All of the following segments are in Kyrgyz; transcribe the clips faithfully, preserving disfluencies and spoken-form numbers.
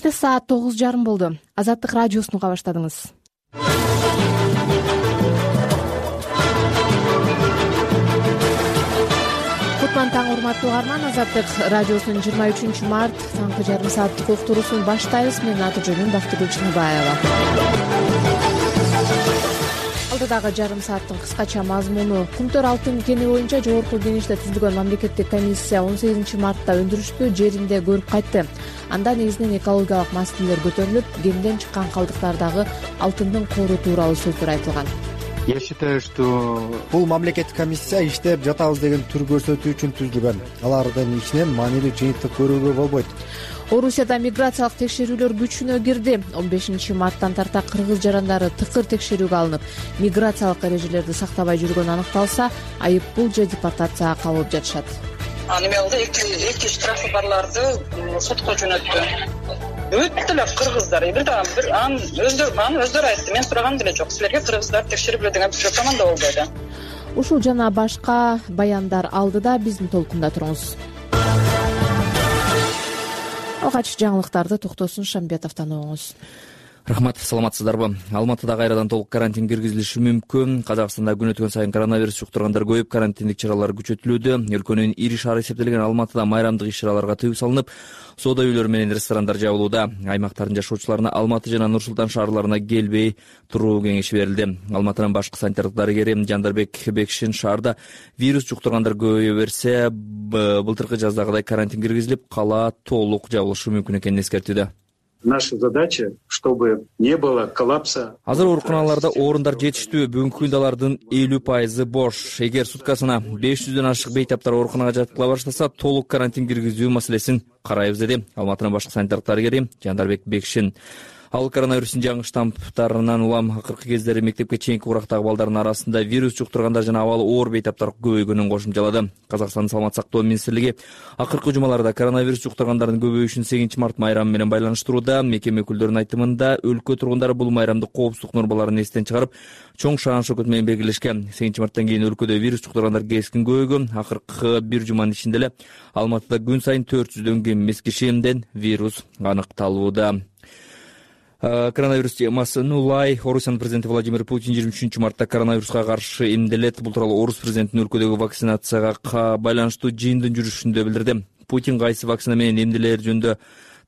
Саат тогуз жарым болду. Азаттык радиосун уга баштадыңыз. Кутман таң, урматтуу угарман. Азаттык радиосунун жыйырма үчүнчү март таңкы жарым сааттык уктуруусун баштайбыз. Менин аты жөнүм Бактыгүл Чыныбаева. Алдыдагы жарым сааттын кыскача мазмуну: Кумтөр алтын кени боюнча жогорку кеңеште түзүлгөн мамлекеттик комиссия он сегизинчи мартта өндүрүштү жеринде көрүп кайтты. Анда негизинен экологиялык маселелер көтөрүлүп, кенден чыккан калдыктардагы алтындын кору тууралуу сөздөр айтылган. Я считаю, что бул мамлекеттик комиссия иштеп жатабыз деген түр көрсөтүү үчүн түзүлгөн. Алардын ичинен маанилүү жыйынтык көрүүгө болбойт. Орусияда миграциялык текшерүүлөр күчүнө кирди. он бешинчи марттан тарта кыргыз жарандары тыкыр текшерүүгө алынып, миграциялык эрежелерди сактабай жүргөнү аныкталса, айып пул же депортацияга кабылып жатышат. Аны мелде эки эки штрафы барларды сотко жөнөттү. Бүт эле кыргыздар, бир да бир ан өздөрү аны өздөрү айтты. Мен сураган деле жок. Силерге кыргыздар текшерип эле деген бир команда болбойду. Ушул жана башка баяндар алдыда биздин толкунда туруңуз. Алгач жаңылыктарды Токтосун Шамбетовдон угуңуз. Рахмат, саламатсыздарбы? Алматыда кайрадан толук карантин киргизилиши мүмкүн. Казакстанда күн өткөн сайын коронавирус жуктургандар көбөйүп, карантиндик чаралар күчөтүлүүдө. Өлкөнүн ири шаары эсептелген Алматыда майрамдык иш-чараларга тыюу салынып, соода үйлөрү менен ресторандар жабылууда. Аймактардын жашоочуларына Алматы жана Нур Султан шаарларына келбей туруу кеңеши берилди. Алматынын башкы санитардык дарыгери Жандарбек Бекшин шаарда вирус жуктургандар көбөйө берсе, былтыркы жаздагыдай карантин киргизилип, кала толук жабылышы мүмкүн экенин эскертүүдө. Наша задача, чтобы не было коллапса. Азыр ооруканаларда орундар жетиштүү, бүгүнкү күндө алардын элүү пайызы бош. Эгер суткасына беш жүздөн ашык бейтаптар ооруканага жаткыла баштаса, толук карантин киргизүү маселесин карайбыз, деди Алматынын башкы санитардык дарыгери Жандарбек Бекшин. Ал коронавирустун жаңы штамптарынан улам акыркы кездери мектепке чейинки курактагы балдардын арасында вирус жуктургандар жана абалы оор бейтаптар көбөйгөнүн кошумчалады. Казакстандын саламат сактоо министрлиги акыркы жумаларда коронавирус жуктургандардын көбөйүшүн сегизинчи март майрамы менен байланыштырууда. Мекеме өкүлдөрүнүн айтымында, өлкө тургундары бул майрамды коопсуздук нормаларын эстен чыгарып, чоң шаан шөкөт менен белгилешкен. сегизинчи марттан кийин өлкөдө вирус жуктургандар кескин көбөйгөн. Акыркы бир жуманын ичинде эле Алматыда күн сайын төрт жүздөн кем эмес кишиден вирус аныкталууда. Коронавирус темасын улай Орусиянын президенти Владимир Путин жыйырма үчүнчү мартта коронавируска каршы эмделет. Бул тууралуу Орус президентинин өлкөдөгү вакцинацияга байланыштуу жыйындын жүрүшүндө билдирди. Путин кайсы вакцина менен эмделер жөнүндө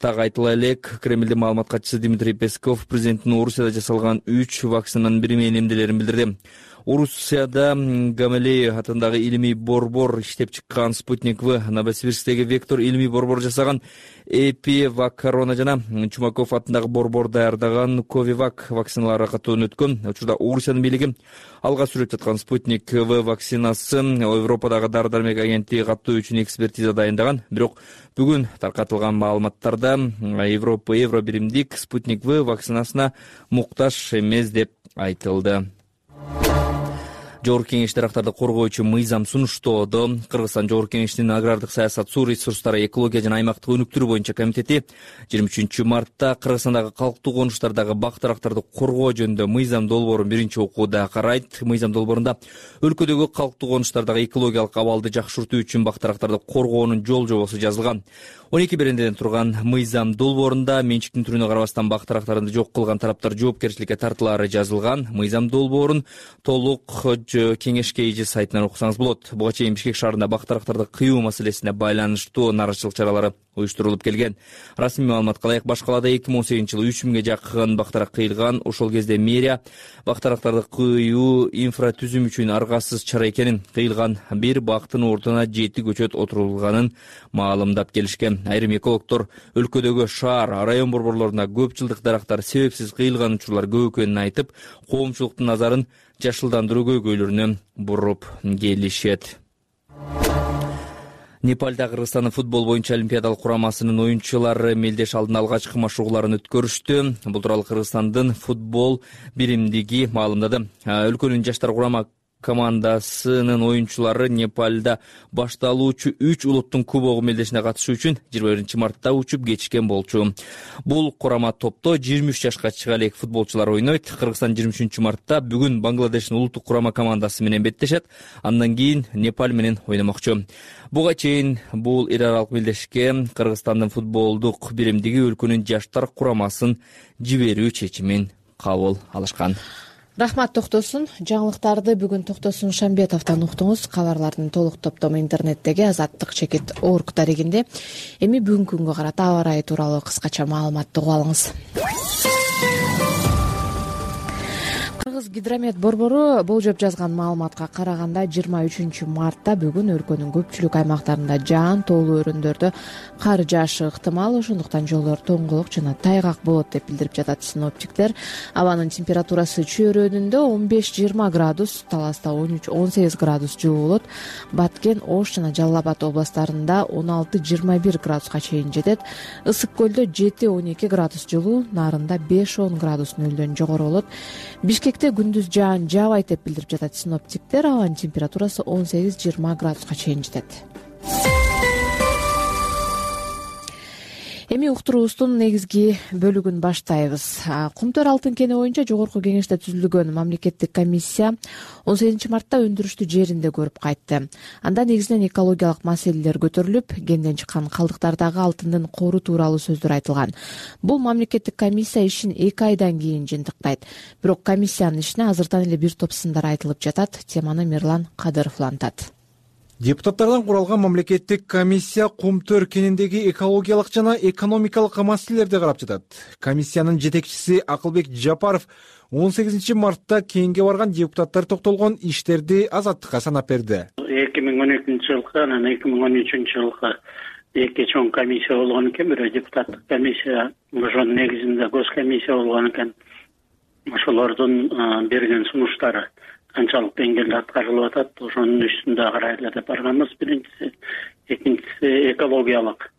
так айтыла элек. Кремлдин маалымат катчысы Дмитрий Песков президенттин Орусияда жасалган үч вакцинанын бири менен эмделерин билдирди. Орусияда Гамалеев атындагы илимий борбор иштеп чыккан Спутник В, Новосибирсктеги Вектор илимий борбор жасаган Эпивак корона жана Чумаков атындагы борбор даярдаган Ковивак вакциналары катуудан өткөн. Учурда Орусиянын бийлиги алга сүрүп жаткан Спутник В вакцинасын Европадагы дары-дармек агенттиги каттоо үчүн экспертиза дайындаган. Бирок бүгүн таркатылган маалыматтарда Европа евро биримдик Спутник В вакцинасына муктаж эмес деп айтылды. Жогорку кеңеш дарактарды коргоочу мыйзам сунуштоодо. Кыргызстан Жогорку кеңешинин агрардык саясат, суу ресурстары, экология жана аймактык өнүктүрүү боюнча комитети жыйырма үчүнчү мартта Кыргызстандагы калктуу конуштардагы бак дарактарды коргоо жөнүндө мыйзам долбоорун биринчи окууда карайт. Мыйзам долбоорунда өлкөдөгү калктуу конуштардагы экологиялык абалды жакшыртуу үчүн бак дарактарды коргоонун жол жобосу жазылган. он эки берендеден турган мыйзам долбоорунда менчиктин түрүнө карабастан бак дарактарды жок кылган тараптар жоопкерчиликке тартылаары жазылган. Мыйзам долбоорун толук кеңешке эже сайтынан окусаңыз болот. Буга чейин Бишкек шаарында бак дарактарды кыюу маселесине байланыштуу нааразычылык чаралары уюштурулуп келген. Расмий маалыматка ылайык баш калаада эки миң он сегизинчи жылы үч миңге жакын бак дарак кыйылган. Ошол кезде мэрия бак дарактарды кыюу инфратүзүм үчүн аргасыз чара экенин, кыйылган бир бактын ордуна жети көчөт отурулганын маалымдап келишкен. Айрым экологдор өлкөдөгү шаар, район борборлоруна көп жылдык дарактар себепсиз кыйылган учурлар көп экенин айтып, коомчулуктун назарын жашылдандыруу көйгөйлөрүнө буруп келишет. Непалда Кыргызстандын футбол боюнча олимпиадалык курамасынын оюнчулары мелдеш алдын алгачкы машыгууларын өткөрүштү. Бул тууралуу Кыргызстандын футбол биримдиги маалымдады. Өлкөнүн жаштар курама командасынын оюнчулары Непалда башталуучу үч улуттун кубогу мелдешине катышуу үчүн жыйырма биринчи мартта учуп кетишкен болчу. Бул курама топто жыйырма үч жашка чыга элек футболчулар ойнойт. Кыргызстан жыйырма үчүнчү мартта бүгүн Бангладештин улуттук курама командасы менен беттешет. Андан кийин Непал менен ойномокчу. Буга чейин бул эл аралык белдешикке Кыргызстандын футболдук биримдиги өлкөнүн жаштар курамасын жиберүү чечимин кабыл алышкан. Рахмат Токтосун. Жаңылыктарды бүгүн Токтосун Шамбетовдон уктуңуз. Кабарлардын толук топтому интернеттеги азаттык чекит орг дарегинде. Эми бүгүнкү күнгө карата аба ырайы тууралуу кыскача маалыматты угуп алыңыз. Кыргыз гидромет борбору болжоп жазган маалыматка караганда жыйырма үчүнчү мартта бүгүн өлкөнүн көпчүлүк аймактарында жаан тоолуу өрөөндөрдө кар жаашы ыктымал, ошондуктан жолдор тоңголук жана тайгак болот деп билдирип жатат синоптиктер. Абанын температурасы чөйрөдүндө он беш жыйырма градус, Таласта он үч он сегиз градус жылуу болот. Баткен, Ош жана Жалал Абад областарында он алты жыйырма бир градуска чейин жетет. Ысык көлдө жети он эки градус жылуу, Нарында беш он градус нөлдөн жогору болот. Бишкекте күндүз жаан жаабайт деп билдирип жатат синоптиктер. Абанын температурасы он сегиз жыйырма градуска чейин жетет. Эми уктуруубуздун негизги бөлүгүн баштайбыз. Кумтөр алтын кени боюнча жогорку кеңеште түзүлгөн мамлекеттик комиссия он сегизинчи мартта өндүрүштү жеринде көрүп кайтты. Анда негизинен экологиялык маселелер көтөрүлүп, кенден чыккан калдыктардагы алтындын кору тууралуу сөздөр айтылган. Бул мамлекеттик комиссия ишин эки айдан кийин жыйынтыктайт. Бирок комиссиянын ишине азыртан эле бир топ сындар айтылып жатат. Теманы Мирлан Кадыров улантат. Депутаттардан куралган мамлекеттик комиссия Кумтөр кениндеги экологиялык жана экономикалык маселелерди карап жатат. Комиссиянын жетекчиси Акылбек Жапаров он сегизинчи мартта кенге барган депутаттар токтолгон иштерди Азаттыкка санап берди. эки миң он экинчи жылкы анан эки миң он үчүнчү жылкы эки чоң комиссия болгон экен, бирөө депутаттык комиссия, ошонун негизинде гос комиссия болгон экен. Ошолордун берген сунуштары канчалык деңгээлде аткарылып атат, ошонун үстүндө карайлы деп барганбыз. Биринчиси, экинчиси экологиялык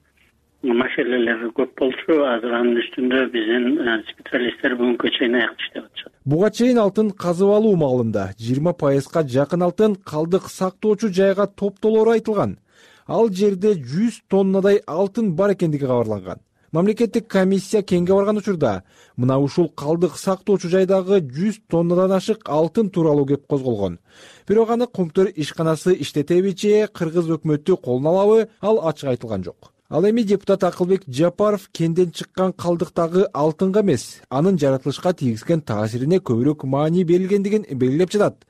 маселелер көп болчу. Азыр анын үстүндө биздин специалисттер бүгүнкү чейин аяк иштеп атышат. Буга чейин алтын казып алуу маалында жыйырма пайызга жакын алтын калдык сактоочу жайга топтолору айтылган. Ал жерде жүз тоннадай алтын бар экендиги кабарланган. Мамлекеттик комиссия кенге барган учурда мына ушул калдык сактоочу жайдагы жүз тоннадан ашык алтын тууралуу кеп козголгон. Бирок аны Кумтөр ишканасы иштетеби же кыргыз өкмөтү колуна алабы, ал ачык айтылган жок. Ал эми депутат Акылбек Жапаров кенден чыккан калдыктагы алтынга эмес, анын жаратылышка тийгизген таасирине көбүрөөк маани берилгендигин белгилеп жатат.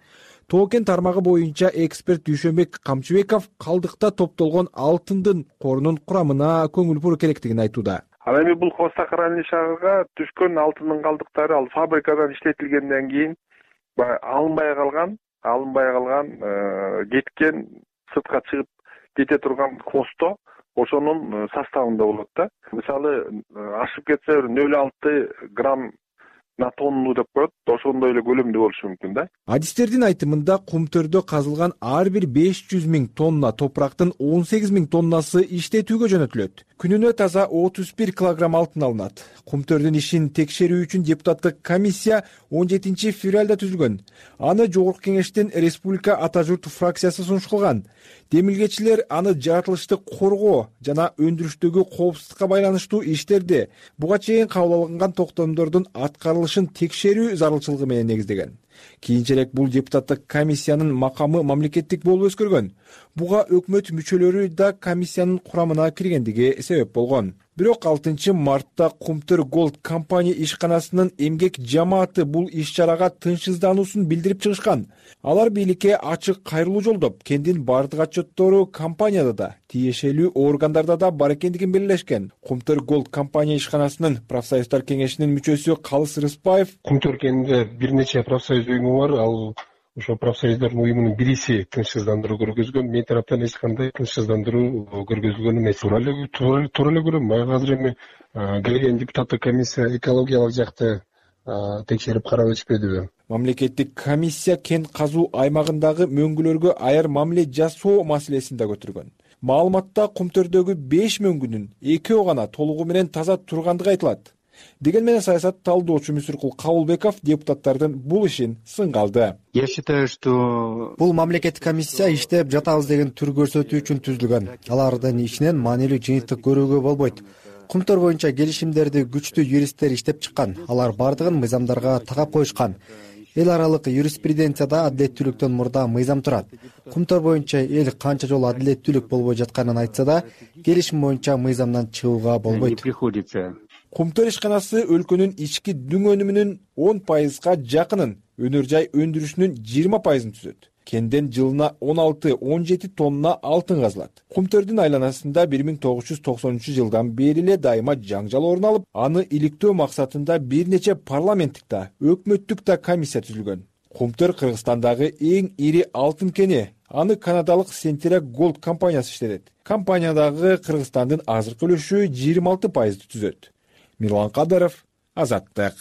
Тоо-кен тармагы боюнча эксперт Дүйшөнбек Камчыбеков калдыкта топтолгон алтындын корунун курамына көңүл буруу керектигин айтууда. Ал эми бул хвостохранилище шаарга түшкөн алтындын калдыктары ал фабрикадан иштетилгенден кийин алынбай калган, алынбай калган, кеткен, сыртка чыгып кете турган хвосто ошонун составында болот да. Мисалы, ашып кетсе нөл алты грамм на тонну деп коет, ошондой эле көлөмдө болушу мүмкүн да. Адистердин айтымында Кумтөрдө казылган ар бир беш жүз миң тонна топурактын он сегиз миң тоннасы иштетүүгө жөнөтүлөт. Күнүнө таза отуз бир килограмм алтын алынат. Кумтөрдүн ишин текшерүү үчүн депутаттык комиссия он жетинчи февралда түзүлгөн. Аны жогорку кеңештин республика ата журт фракциясы сунуш кылган. Демилгечилер аны жаратылышты коргоо жана өндүрүштөгү коопсуздукка байланыштуу иштерди буга чейин кабыл алынган токтомдордун аткарылышын текшерүү зарылчылыгы менен негиздеген. Кийинчерээк бул депутаттык комиссиянын макамы мамлекеттик болуп өзгөргөн. Буга өкмөт мүчөлөрү да комиссиянын курамына киргендиги себеп болгон. Бирок алтынчы мартта Кумтөр Голд компания ишканасынын эмгек жамааты бул иш-чарага тынчсыздануусун билдирип чыгышкан. Алар бийликке ачык кайрылуу жолдоп, кендин бардык отчеттору компанияда да, тиешелүү органдарда да бар экендигин белгилешкен. Кумтөр Голд компания ишканасынын профсоюздар кеңешинин мүчөсү Калыс Рыспаев: Кумтөр кенинде бир нече профсоюз уюму бар, ал ошо профсоюздардын уюмунун бириси тынчсыздандыруу көргөзгөн. Мен тараптан эч кандай тынчсыздандыруу көргөзүлгөн эмес. Туура эле туура эле көрөм. Азыр эми келген депутаттык комиссия экологиялык жакты текшерип карап өтүшпөдүбү? Мамлекеттик комиссия кен казуу аймагындагы мөңгүлөргө аяр мамиле жасоо маселесин да көтөргөн. Маалыматта Кумтөрдөгү беш мөңгүнүн экөө гана толугу менен таза тургандыгы айтылат. Деген менен саясат талдоочу Мүсүркул Кабылбеков депутаттардын бул ишин сынга алды. Я считаю, что бул мамлекеттик комиссия иштеп жатабыз деген түр көрсөтүү үчүн түзүлгөн. Алардын ишинен маанилүү жыйынтык көрүүгө болбойт. Кумтөр боюнча келишимдерди күчтүү юристтер иштеп чыккан. Алар бардыгын мыйзамдарга тагап коюшкан. Эл аралык юриспруденцияда адилеттүүлүктөн мурда мыйзам турат. Кумтөр боюнча эл канча жолу адилеттүүлүк болбой жатканын айтса да, келишим боюнча мыйзамдан чыгууга болбойт. Кумтөр ишканасы өлкөнүн ички дүң өнүмүнүн он пайызга жакынын, өнөр жай өндүрүшүнүн жыйырма пайызын түзөт. Кенден жылына он алты он жети тонна алтын казылат. Кумтөрдүн айланасында бир миң тогуз жүз токсонунчу жылдан бери эле дайыма жаңжал орун алып, аны иликтөө максатында бир нече парламенттик да, өкмөттүк да комиссия түзүлгөн. Кумтөр Кыргызстандагы эң ири алтын кени. Аны канадалык Centera Gold компаниясы иштетет. Компаниядагы Кыргызстандын азыркы үлүшү жыйырма алты пайызды түзөт. Мирлан Кадаров, Азаттык.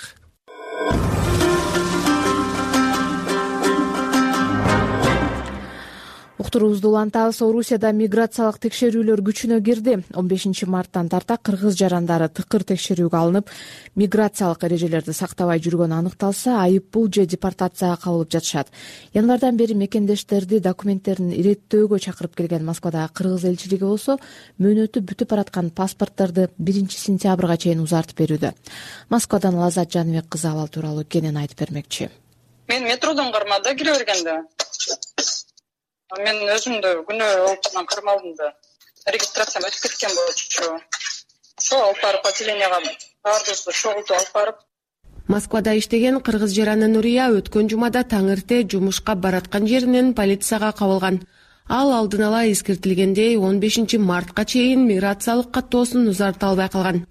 Уктуруубузду улантабыз. Орусияда миграциялык текшерүүлөр күчүнө кирди. он бешинчи марттан тарта кыргыз жарандары тыкыр текшерүүгө алынып, миграциялык эрежелерди сактабай жүргөнү аныкталса, айып пул же депортацияга кабылып жатышат. Январдан бери мекендештерди документтерин иреттөөгө чакырып келген Москвадагы кыргыз элчилиги болсо, мөөнөтү бүтүп бараткан паспортторду биринчи сентябрга чейин узартып берүүдө. Москвадан Лазат Жаныбек кызы абал тууралуу кенен айтып бермекчи. Мен метродон кармада кире бергенде мен өзүмдү күнөө олтурдан кармалдым да. Регистрациям өтүп кеткен болчу. Ошо алып барып отделенияга бардыбызды чогултуп алып барып. Москвада иштеген кыргыз жараны Нурия өткөн жумада таң эрте жумушка бараткан жеринен полицияга кабылган. Ал алдын ала эскертилгендей он бешинчи мартка чейин миграциялык каттоосун узарта албай калган.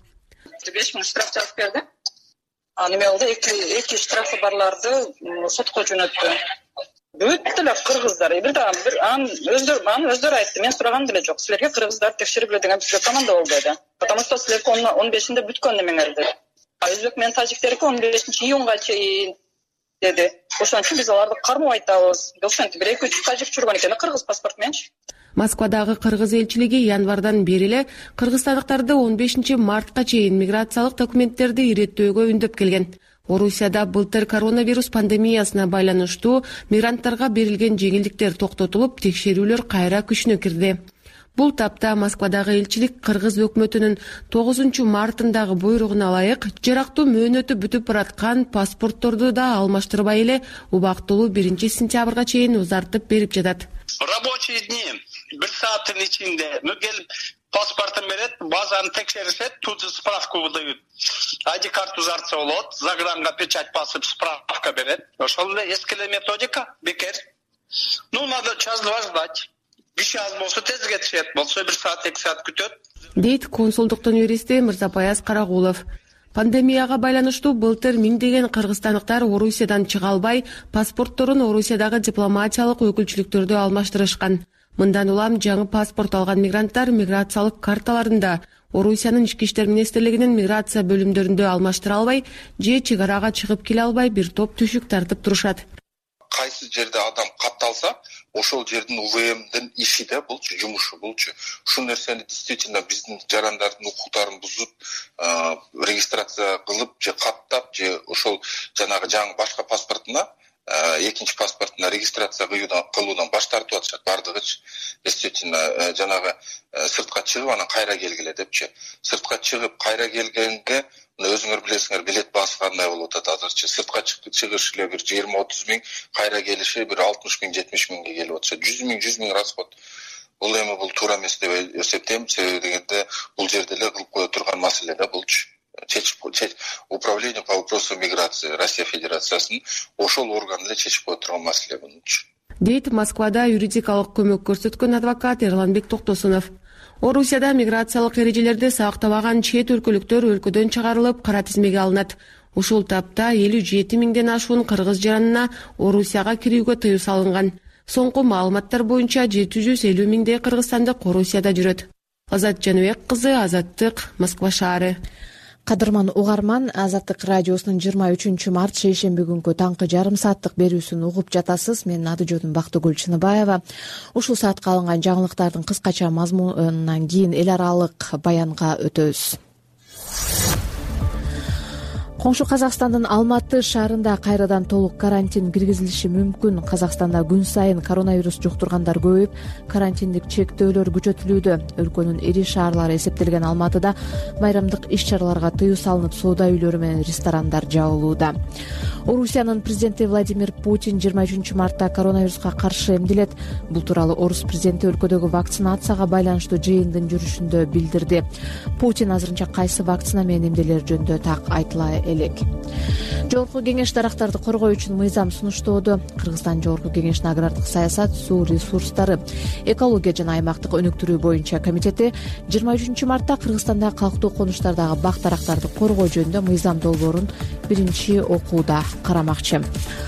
беш миң штраф жазып берди. Аны эме болду, эки штрафы барларды сотко жөнөттү. Бүт эле кыргыздар, бир дагы бир ан өздөрү аны өздөрү айтты. Мен сураган деле жок. Силерге кыргыздар текшерип эле деген бизге команда болду деди. Потому что силерге он бешинде бүткөн немеңер деди. А өзбек менен тажиктерге он бешинчи июнга чейин деди. Ошон үчүн биз аларды кармап айтабыз. Ошентип бир эки үч тажик жүргөн экен, кыргыз паспорт мененчи. Москвадагы кыргыз элчилиги январдан бери эле кыргызстандыктарды он бешинчи мартка чейин миграциялык документтерди иреттөөгө үндөп келген. Орусияда былтыр коронавирус пандемиясына байланыштуу мигранттарга берилген жеңилдиктер токтотулуп, текшерүүлөр кайра күчүнө кирди. Бул тапта Москвадагы элчилик кыргыз өкмөтүнүн тогузунчу мартындагы буйругуна ылайык жарактуу мөөнөтү бүтүп бараткан паспортторду да алмаштырбай эле убактылуу биринчи сентябрга чейин узартып берип жатат. Рабочие дни бир сааттын ичинде келип паспортун берет, базаны текшеришет, тут же справку выдают. ай ди карт узартса болот, загранга печать басып справка берет. Ошол эле эски эле методика, бекер. Ну, надо час-два ждать. бир час болсо тез кетишет, болсо бир саат, эки саат күтөт. Дейт консулдуктун юристи Мырзапаяз Карагулов. Пандемияга байланыштуу былтыр миңдеген кыргызстандыктар Орусиядан чыга албай, паспортторун Орусиядагы дипломатиялык өкүлчүлүктөрдө алмаштырышкан. Мындан улам жаңы паспорт алган мигранттар миграциялык карталарында Орусиянын ички иштер министрлигинин миграция бөлүмдөрүндө алмаштыра албай, же чек арага чыгып келе албай бир топ түшүк тартып турушат. Кайсы жерде адам катталса, ошол жердин У В Мдин иши да булчу, жумушу булчу. Ушул нерсени действительно биздин жарандардын укуктарын бузуп, регистрация кылып же каттап же ошол жанагы жаңы башка паспортуна экинчи паспортуна регистрация кылуудан баш тартып атышат бардыгычы. Действительно жанагы сыртка чыгып анан кайра келгиле депчи. Сыртка чыгып кайра келгенге өзүңөр билесиңер, билет баасы кандай болуп атат азырчы. Сыртка чыгыш эле бир жыйырма отуз миң, кайра келиши бир алтымыш миң, жетимиш миңге келип атышат. жүз миң, жүз миң расход. Бул эми бул туура эмес деп эсептейм. Себеби дегенде бул жерде эле кылып кое турган маселе да булчу. Управление по вопросу миграции Россия Федерациясынын ошол орган эле чечип кое турган маселе булчу. Дейт Москвада юридикалык көмөк көрсөткөн адвокат Эрланбек Токтосунов. Орусияда миграциялык эрежелерди сактабаган чет өлкөлүктөр өлкөдөн чыгарылып, кара тизмеге алынат. Ушул тапта элүү жети миңден ашуун кыргыз жаранына Орусияга кирүүгө тыюу салынган. Соңку маалыматтар боюнча жети жүз элүү миңдей кыргызстандык Орусияда жүрөт. Азат Жаныбек кызы, Азаттык, Москва шаары. Кадырман угарман, Азаттык радиосунун жыйырма үчүнчү март шейшемби күнгү таңкы жарым сааттык берүүсүн угуп жатасыз. Мен Надыжодун Бактыгүл Чыныбаева. Ушул саатка алынган жаңылыктардын кыскача мазмунунан кийин эл аралык баянга өтөбүз. коңшу Казакстандын Алматы шаарында кайрадан толук карантин киргизилиши мүмкүн. Казакстанда күн сайын коронавирус жуктургандар көбөйүп, карантиндик чектөөлөр күчөтүлүүдө. Өлкөнүн ири шаарлары эсептелген Алматыда майрамдык иш-чараларга тыюу салынып, соода үйлөрү менен ресторандар жабылууда. Орусиянын президенти Владимир Путин жыйырма үчүнчү мартта коронавируска каршы эмделет. Бул тууралуу орус президенти өлкөдөгү вакцинацияга байланыштуу жыйындын жүрүшүндө билдирди. Путин азырынча кайсы вакцина менен эмделер жөнүндө так айтыла элек. Жогорку кеңеш дарактарды коргоо үчүн мыйзам сунуштоодо. Кыргызстан Жогорку кеңештин агрардык саясат, суу ресурстары, экология жана аймактык өнүктүрүү боюнча комитети жыйырма үчүнчү мартта Кыргызстандагы калктуу конуштардагы бак дарактарды коргоо жөнүндө мыйзам долбоорун биринчи окууда карамакчы.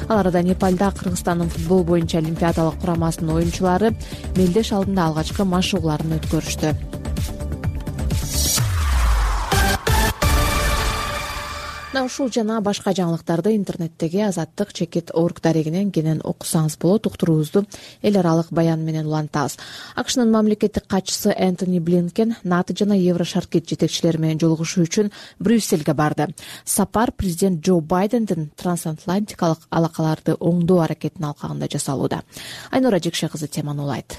Ал арада Непалда Кыргызстандын футбол боюнча олимпиадалык курамасынын оюнчулары мелдеш алдында алгачкы машыгууларын өткөрүштү. Ушул жана башка жаңылыктарды интернеттеги азаттык чекит орг дарегинен кенен окусаңыз болот. Уктуруубузду эл аралык баян менен улантабыз. АКШнын мамлекеттик катчысы Энтони Блинкен НАТО жана Еврошаркит жетекчилери менен жолугушуу үчүн Брюссельге барды. Сапар президент Джо Байдендин трансатлантикалык алакаларды оңдоо аракетин алкагында жасалууда. Айнура Жекше кызы теманы улайт.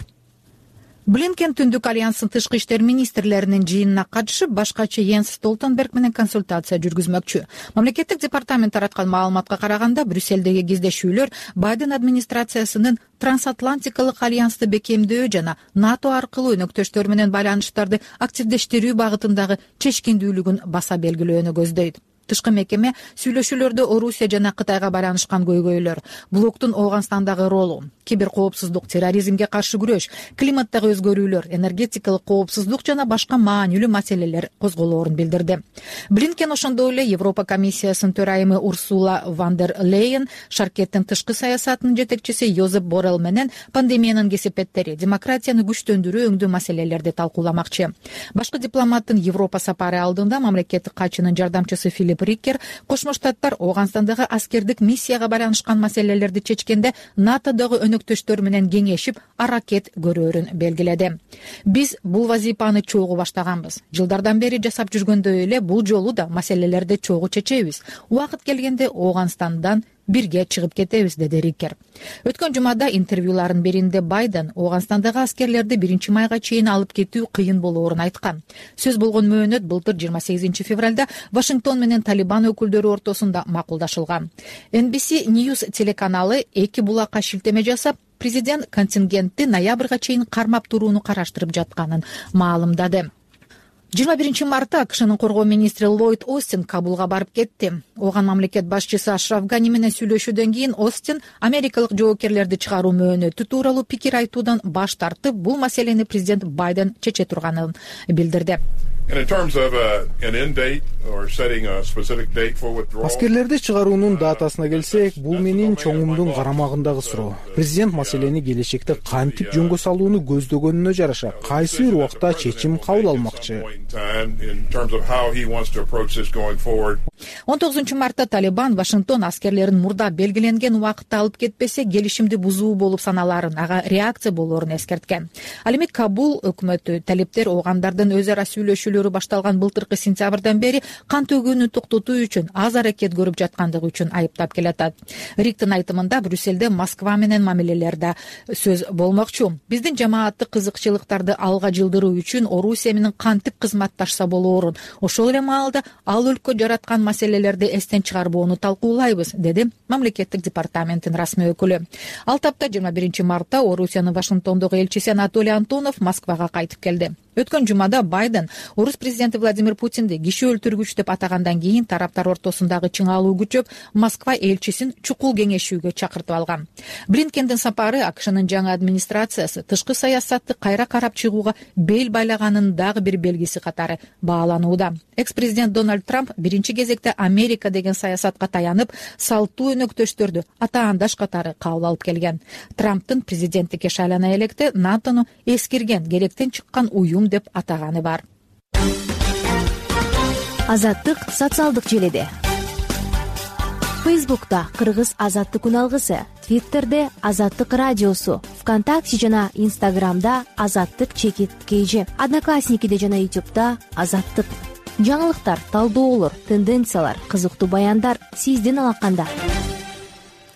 Блинкен Түндүк альянстын тышкы иштер министрлеринин жыйынына катышып, башкачы Йенс Столтенберг менен консультация жүргүзмөкчү. Мамлекеттик департамент тараткан маалыматка караганда, Брюссельдеги кездешүүлөр Байден администрациясынын трансатлантикалык альянсты бекемдөө жана НАТО аркылуу өнөктөштөр менен байланыштарды активдештирүү багытындагы чечкиндүүлүгүн баса белгилөөнү көздөйт. Тышкы мекеме сүйлөшүүлөрдө Орусия жана Кытайга байланышкан көйгөйлөр, блоктун Ооганстандагы ролу, кибер коопсуздук, терроризмге каршы күрөш, климаттагы өзгөрүүлөр, энергетикалык коопсуздук жана башка маанилүү маселелер козголоорун билдирди. Блинкен ошондой эле Европа комиссиясынын төрайымы Урсула ван дер Лейен, Шаркеттин тышкы саясатынын жетекчиси Йозеп Боррелл менен пандемиянын кесепеттери, демократияны күчтөндүрүү өңдүү маселелерди талкууламакчы. Башкы дипломаттын Европа сапары алдында мамлекеттик катчынын жардамчысы Филипп Риккер Кошмо Штаттар Ооганстандагы аскердик миссияга байланышкан маселелерди чечкенде НАТОдогу өнөктөштөр менен кеңешип аракет көрөөрүн белгиледи. Биз бул вазифаны чогуу баштаганбыз. Жылдардан бери жасап жүргөндөй эле бул жолу да маселелерди чогуу чечебиз. Убакыт келгенде Ооганстандан бирге чыгып кетебиз, деди Риккер. Өткөн жумада интервьюларын беринде Байден Ооганстандагы аскерлерди биринчи майга чейин алып кетүү кыйын болоорун айткан. Сөз болгон мөөнөт былтыр жыйырма сегизинчи февралда Вашингтон менен Талибан өкүлдөрү ортосунда макулдашылган. Эн Би Си News телеканалы эки булакка шилтеме жасап, президент контингентти ноябрга чейин кармап турууну караштырып жатканын маалымдады. жыйырма биринчи мартта АКШнын коргоо министри Ллойд Остин Кабулга барып кетти. Оган мамлекет башчысы Ашраф Гани менен сүйлөшүүдөн кийин Остин америкалык жоокерлерди чыгаруу мөөнөтү тууралуу пикир айтуудан баш тартып, бул маселени президент Байден чече турганын билдирди. Аскерлерди чыгаруунун датасына келсек, бул менин чоңумдун карамагындагы суроо. Президент маселени келечекте кантип жөнгө салууну көздөгөнүнө жараша кайсы бир убакта чечим кабыл алмакчы. он тогузунчу мартта Талибан Вашингтон аскерлерин мурда белгиленген убакытта алып кетпесе, келишимди бузуу болуп саналарын, ага реакция болоорун эскерткен. Ал эми Кабул өкмөтү талиптер оогандардын өз ара сүйлөшүүлөрү башталган былтыркы сентябрдан бери кан төгүүнү токтотуу үчүн аз аракет көрүп жаткандыгы үчүн айыптап келатат. Риктин айтымында Брюссельде Москва менен мамилелерде сөз болмокчу. Биздин жамааттык кызыкчылыктарды алга жылдыруу үчүн Орусия менен кантип кызматташса болоорун, ошол эле маалда ал өлкө жараткан маселелерди эстен чыгарбоону талкуулайбыз, деди мамлекеттик департаменттин расмий өкүлү. Ал тапта жыйырма биринчи мартта Орусиянын Вашингтондогу элчиси Анатолий Антонов Москвага кайтып келди. Өткөн жумада Байден орус президенти Владимир Путинди киши өлтүргүч деп атагандан кийин тараптар ортосундагы чыңалуу күчөп, Москва элчисин чукул кеңешүүгө чакыртып алган. Блинкендин сапары АКШнын жаңы администрациясы тышкы саясатты кайра карап чыгууга бел байлаганын дагы бир белгиси катары бааланууда. Экс-президент Дональд Трамп биринчи кезекте Америка деген саясатка таянып, салттуу өнөктөштөрдү атаандаш катары кабыл алып келген. Трамптын президенттикке шайлана электе НАТОну эскирген, керектен чыккан уюм деп атаганы бар. Азаттык социалдык желиде. Фейсбукта Кыргыз азаттык үн алгысы, Твиттерде Азаттык радиосу, ВКонтакте жана Инстаграмда Азаттык чекит кейжи, Одноклассникиде жана Ютубда Азаттык. жаңылыктар, талдоолор, тенденциялар, кызыктуу баяндар сиздин алаканда.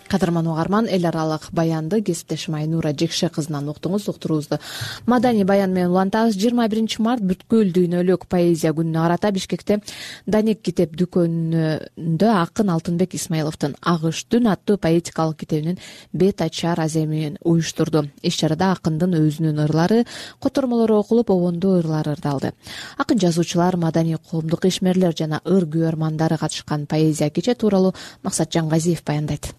Кадырман угарман, эл аралык баянды кесиптешим Айнура Жекше кызынан уктуңуз. Уктуруубузду маданий баян менен улантабыз. жыйырма биринчи март бүткүл дүйнөлүк поэзия күнүнө карата Бишкекте Данек китеп дүкөнүндө акын Алтынбек Исмаиловдун Агыш түн аттуу поэтикалык китебинин бет ачар аземин уюштурду. Иш-чарада акындын өзүнүн ырлары, котормолору окулуп, обондуу ырлары ырдалды. Акын жазуучулар, маданий коомдук ишмерлер жана ыр күйөрмандары катышкан поэзия кече тууралуу Максат Жаңгазиев баяндайт.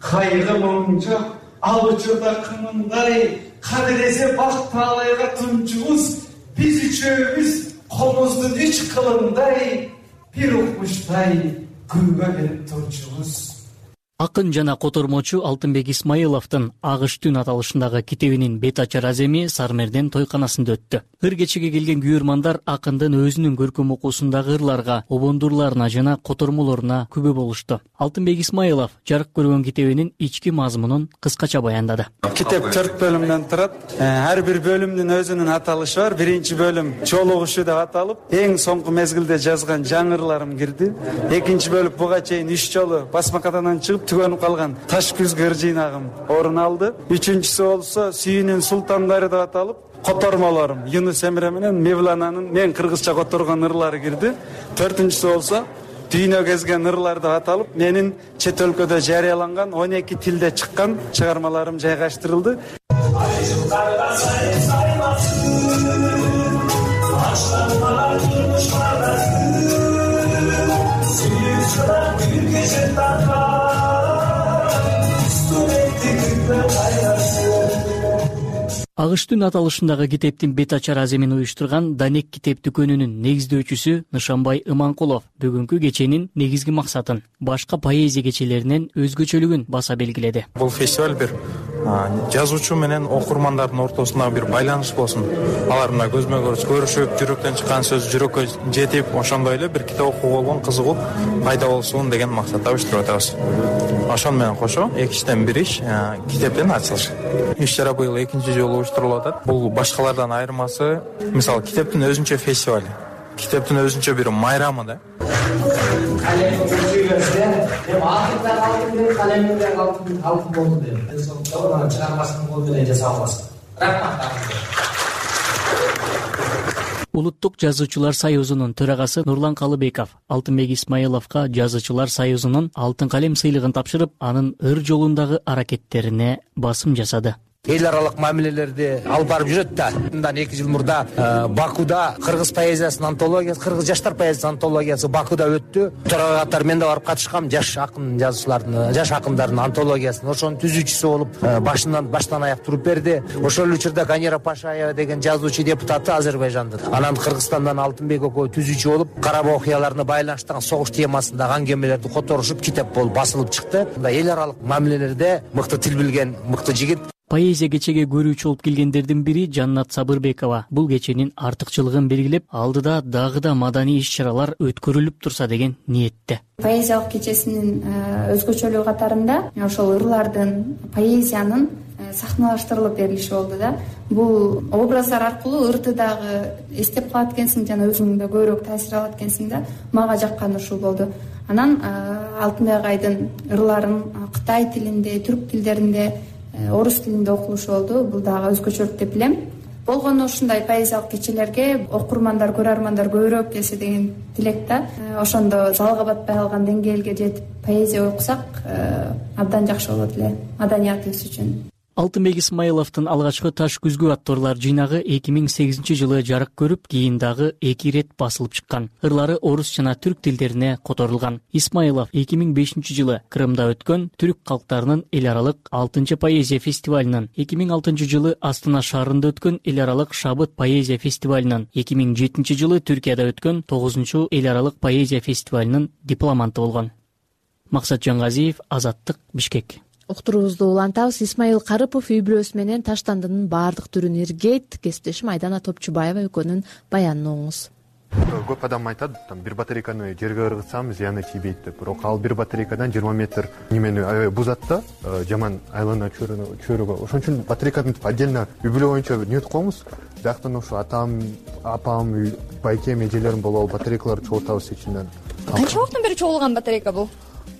Кайгы мұң жоқ, ал учурда кымындай, кадыресе бак таалайга тунчубуз, биз үчөөбүз комуздун үч кылындай, бир укмуштай күнгө келип турчубуз. Акын жана котормочу Алтынбек Исмаиловдун Агыш түн аталышындагы китебинин бет ачар аземи Сармерден тойканасында өттү. Ыр кечеге келген күйөрмандар акындын өзүнүн көркөм окуусундагы ырларга, обондурларына жана котормолоруна күбө болушту. Алтынбек Исмаилов жарык көргөн китебинин ички мазмунун кыскача баяндады. Китеп төрт бөлүмдөн турат. Ар бир бөлүмдүн өзүнүн аталышы бар. Биринчи бөлүм чолугушу деп аталып, эң соңку мезгилде жазган жаңырларым кирди. Экинчи бөлүм буга чейин үч жолу басмакадан чыгып түгөнүп калган таш күзгөр жыйнагым орун алды. Үчүнчүсү болсо сүйүүнүн султандары деп аталып, котормолорум Юнус Эмре менен Мевлананын мен кыргызча которгон ырлары кирди. Төртүнчүсү болсо дүйнө кезген ырлар деп аталып, менин чет өлкөдө жарыяланган он эки тилде чыккан чыгармаларым жайгаштырылды. Агыш түн аталышындагы китептин бет ачар аземин уюштурган Данек китеп дүкөнүнүн негиздөөчүсү Нышанбай Иманкулов бүгүнкү кеченин негизги максатын, башка поэзия кечелеринен өзгөчөлүгүн баса белгиледи. Бул фестиваль бир жазуучу менен окурмандардын ортосунда бир байланыш болсун. Алар мына көзмө көз көрүшүп, жүрөктөн чыккан сөз жүрөккө жетип, ошондой эле бир китеп окууга болгон кызыгуу пайда болсун деген максатта уюштуруп атабыз. Ошон менен кошо экичтен бир иш китептин ачылышы. Иш-чара быйыл экинчи жолу уюштурулуп атат. Бул башкалардан айырмасы, мисалы китептин өзүнчө фестивали, китептин өзүнчө бир майрамы да. Улуттук жазуучулар союзунун төрагасы Нурлан Калыбеков Алтынбек Исмаиловго жазуучулар союзунун алтын калем сыйлыгын тапшырып, анын ыр жолундагы аракеттерине басым жасады. Эл аралык мамилелерди алып барып жүрөт да. Мындан эки жыл мурда Бакуда кыргыз поэзиясынын антологиясы, кыргыз жаштар поэзиясынын антологиясы Бакуда өттү. Төрага катары мен да барып катышкам. Жаш акын жазуучулардын, жаш акындардын антологиясын, ошонун түзүүчүсү болуп, башынан баштан аяк туруп берди. Ошол учурда Канера Пашаева деген жазуучу депутаты Азербайжандын. Анан Кыргызстандан Алтынбек экөө түзүүчү болуп, Карабак окуяларына байланыштаган согуш темасындагы аңгемелерди которушуп, китеп болуп басылып чыкты. Мында эл аралык мамилелерде мыкты тил билген мыкты жигит. Поэзия кечеге көрүүчү болуп келгендердин бири Жаннат Сабырбекова бул кеченин артыкчылыгын белгилеп, алдыда дагы да маданий иш-чаралар өткөрүлүп турса деген ниетте. Поэзиялык кечесинин өзгөчөлүгү катарында ошол ырлардын, поэзиянын сахналаштырылып берилиши болду да. Бул образдар аркылуу ырды дагы эстеп калат экенсиң жана өзүң да көбүрөөк таасир алат экенсиң да. Мага жакканы ушул болду. Анан Алтынбек агайдын ырларын Кытай тилинде, түрк тилдеринде, орус тилинде окулушу болду. Бул дагы өзгөчөлүк деп билем. Болгону ушундай поэзиялык кечелерге окурмандар, көрөрмандар көбүрөөк келсе деген тилек да. Ошондо залга батпай калган деңгээлге жетип поэзия окусак абдан жакшы болот эле маданиятыбыз үчүн. Алтынбек Исмаиловдун алгачкы Таш күзгү аттуу ырлар жыйнагы эки миң сегизинчи жылы жарык көрүп, кийин дагы эки ирет басылып чыккан. Ырлары орус жана түрк тилдерине которулган. Исмаилов эки миң бешинчи жылы Крымда өткөн түрк калктарынын эл аралык алтынчы поэзия фестивалынын, эки миң алтынчы жылы Астана шаарында өткөн эл аралык Шабыт поэзия фестивалынын, эки миң жетинчи жылы Түркияда өткөн тогузунчу эл аралык поэзия фестивалынын дипломанты болгон. Максат Жаңгазиев, Азаттык, Бишкек. Уктуруубузду улантабыз. Исмаил Карыпов үй бүлөсү менен таштандынын баардык түрүн иргейт. Кесиптешим Айдана Топчубаева экөөнүн баянын оңуңуз. Көп адам айтат, там бир батарейканы жерге ыргытсам зыяны тийбейт деп. Бирок ал бир батарейкадан жыйырма метр немени аябай бузат да, жаман айлана чөйрөгө. Ошон үчүн батарейканы отдельно үй бүлө боюнча нөт коебуз. Бияктан ошо атам, апам, байкем, эжелерим болуп алып батарейкаларды чогултабыз ичинен. Канча убакыттан бери чогулган батарейка бул?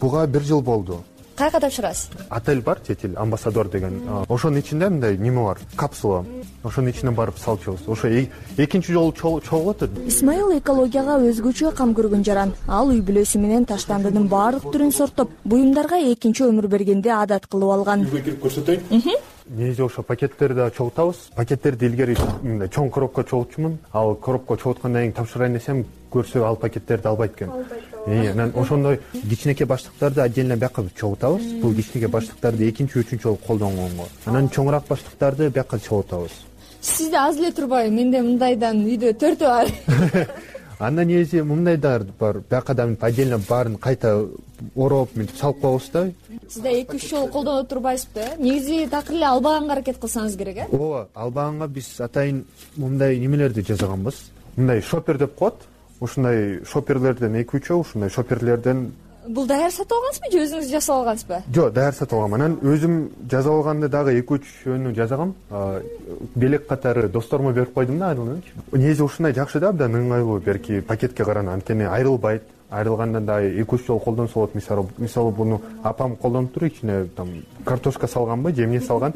Буга бир жыл болду. Кайка тапшырасыз? Отель бар, Тетил, Амбассадор деген. Ошонун ичинде мындай неме бар, капсула. Ошонун ичине барып салчубуз. Ошо экинчи жолу чогулат. Исмаил экологияга өзгөчө кам көргөн жаран. Ал үй бүлөсү менен таштандынын баардык түрүн сорттоп, буюмдарга экинчи өмүр бергенди адат кылып алган. Үйгө кирип көрсөтөйүн. Негизи ошо пакеттерди чогултабыз. Пакеттерди илгери мындай чоң коробка чогултчумун. Ал коробка чогулткандан кийин тапшырайын десем, көрсө ал пакеттерди албайт экен. Анан ошондой кичинекей баштыктарды отдельно бияка чогултабыз. Бул кичинекей баштыктарды экинчи, үчүнчү жолу колдонгонго. Анан чоңураак баштыктарды бияка чогултабыз. Сизде аз эле турбайбы? Менде мындайдан үйдө төртөө бар. Анда негизи мындайдар бар. Биякадан отдельно баарын кайта ороп, мынтип салып коебуз да. Сизде эки үч жолу колдонуп турбайсызбы? Негизи такыр эле албаганга аракет кылсаңыз керек, э? Ооба, албаганга биз атайын мындай немелерди жасаганбыз. Мындай шопер деп коет. Ушундай шоперлерден эки үчөө, ушундай шоперлерден. Бул даяр сатып алгансызбы же өзүңүз жасап алгансызбы? Жок, даяр сатып алгам. Анан өзүм жазып алганда дагы эки үчөөнү жасагам. Белек катары досторума берип койдум да, айрылганчы. Негизи ушундай жакшы да, абдан ыңгайлуу, берки пакетке карана, анткени айрылбайт. Айрылгандан дагы эки үч жолу колдонсо болот. Мисалы, мисалы буну апам колдонуп туруп, ичине там картошка салганбы, же эмне салган.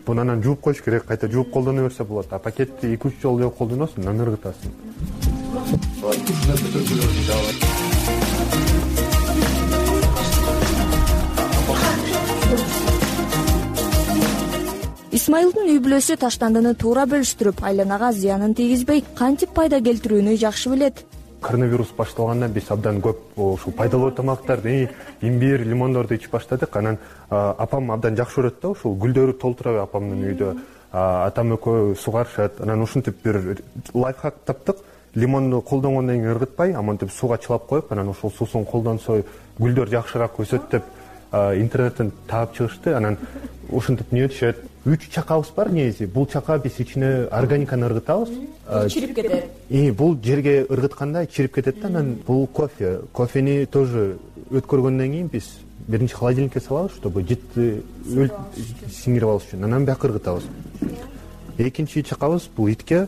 Буну анан жууп коюш керек, кайта жууп колдоно берсе болот. А пакетти эки үч жолу колдоносуң, анан ыргытасың. Исмаилдин үй бүлөсү таштандыны туура бөлүштүрүп, айланага зыянын тийгизбей, кантип пайда келтирүүнү жакшы билет. Коронавирус башталгандан биз абдан көп ушул пайдалуу тамактарды, имбирь, лимондорду ичип баштадык. Анан апам абдан жакшы көрөт да, ушул гүлдөрү толтура апамдын үйдө. Атам экөө сугарышат. Анан ушинтип бир лайфхак таптык. Лимонду колдонгондон кийин ыргытпай, амантип сууга чылап коюп, анан ошол суусун колдонсо гүлдөр жакшыраак өсөт деп интернеттен таап чыгышты. Анан ушинтип не өтүшөт. Үч чакабыз бар негизи. Бул чака биз ичине органиканы ыргытабыз. Чирип кетет. И бул жерге ыргытканда чирип кетет да. Анан бул кофе. Кофени тоже өткөргөндөн кийин биз биринчи холодильникке салабыз, чтобы житти сиңирип алыш үчүн. Анан бияка ыргытабыз. Экинчи чакабыз бул итке.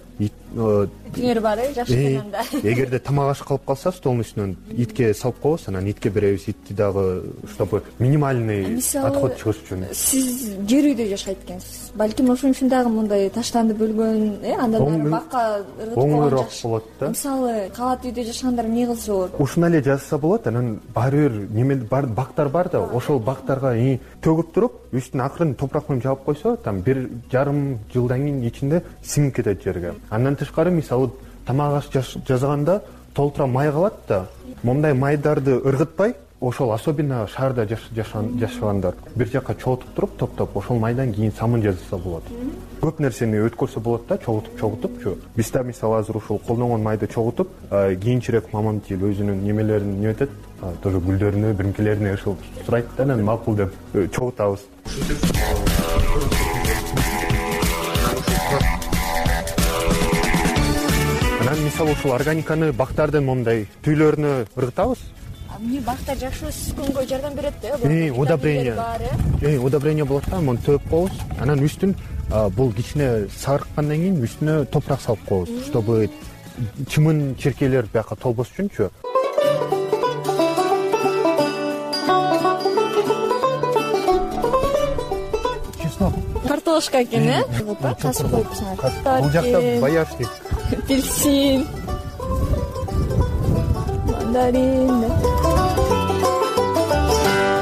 Түңөр бар, э, жакшы экенанда. Эгерде тамак аш калып калса, столдун үстүнөн итке салып коебуз, анан итке беребиз. Итти дагы чтобы минимальный отход чыгыш үчүн. Сиз жер үйдө жашайт экенсиз. Балким ошон үчүн дагы мындай таштанды бөлгөн, э, андан ары бакка ыргытып койгон жакшы болот да. Мисалы, кабат үйдө жашагандар эмне кылса болот? Ушуна эле жазса болот. Анан баары бир неме бар, бактар бар да, ошол бактарга төгүп туруп, үстүн акырын топурак менен жаап койсо, там бир жарым жылдан кийин ичинде сиңип кетет жерге. Андан тышкары, мисалы, тамак аш жасаганда толтура май калат да. Мондай майдарды ыргытпай, ошол особенно шаарда жашагандар бир жака чогултуп туруп, топтоп, ошол майдан кийин самын жасаса болот. Көп нерсени өткөрсө болот да, чогултуп чогултупчу. Биз да мисалы азыр ушул колдонгон майды чогултуп, кийинчерээк мамам тил өзүнүн немелерин не өтөт, тоже гүлдөрүнө, биринкилерине ушул сурайт да, анан макул деп чогултабыз. Анан мисалы ушул органиканы бактардын мондай түүлөрүнө ыргытабыз. Эмне бактар жакшы күнгө жардам берет да? Э, удобрение. Э, удобрение болот да, муну төп коебуз. Анан үстүн бул кичине сарыккандан кийин үстүнө топурак салып коебуз, чтобы чымын черкелер бияка толбос үчүнчү. Картошка экен, э? Тасып коюпсуңар. Бул жакта боярышник. Апельсин, мандарин.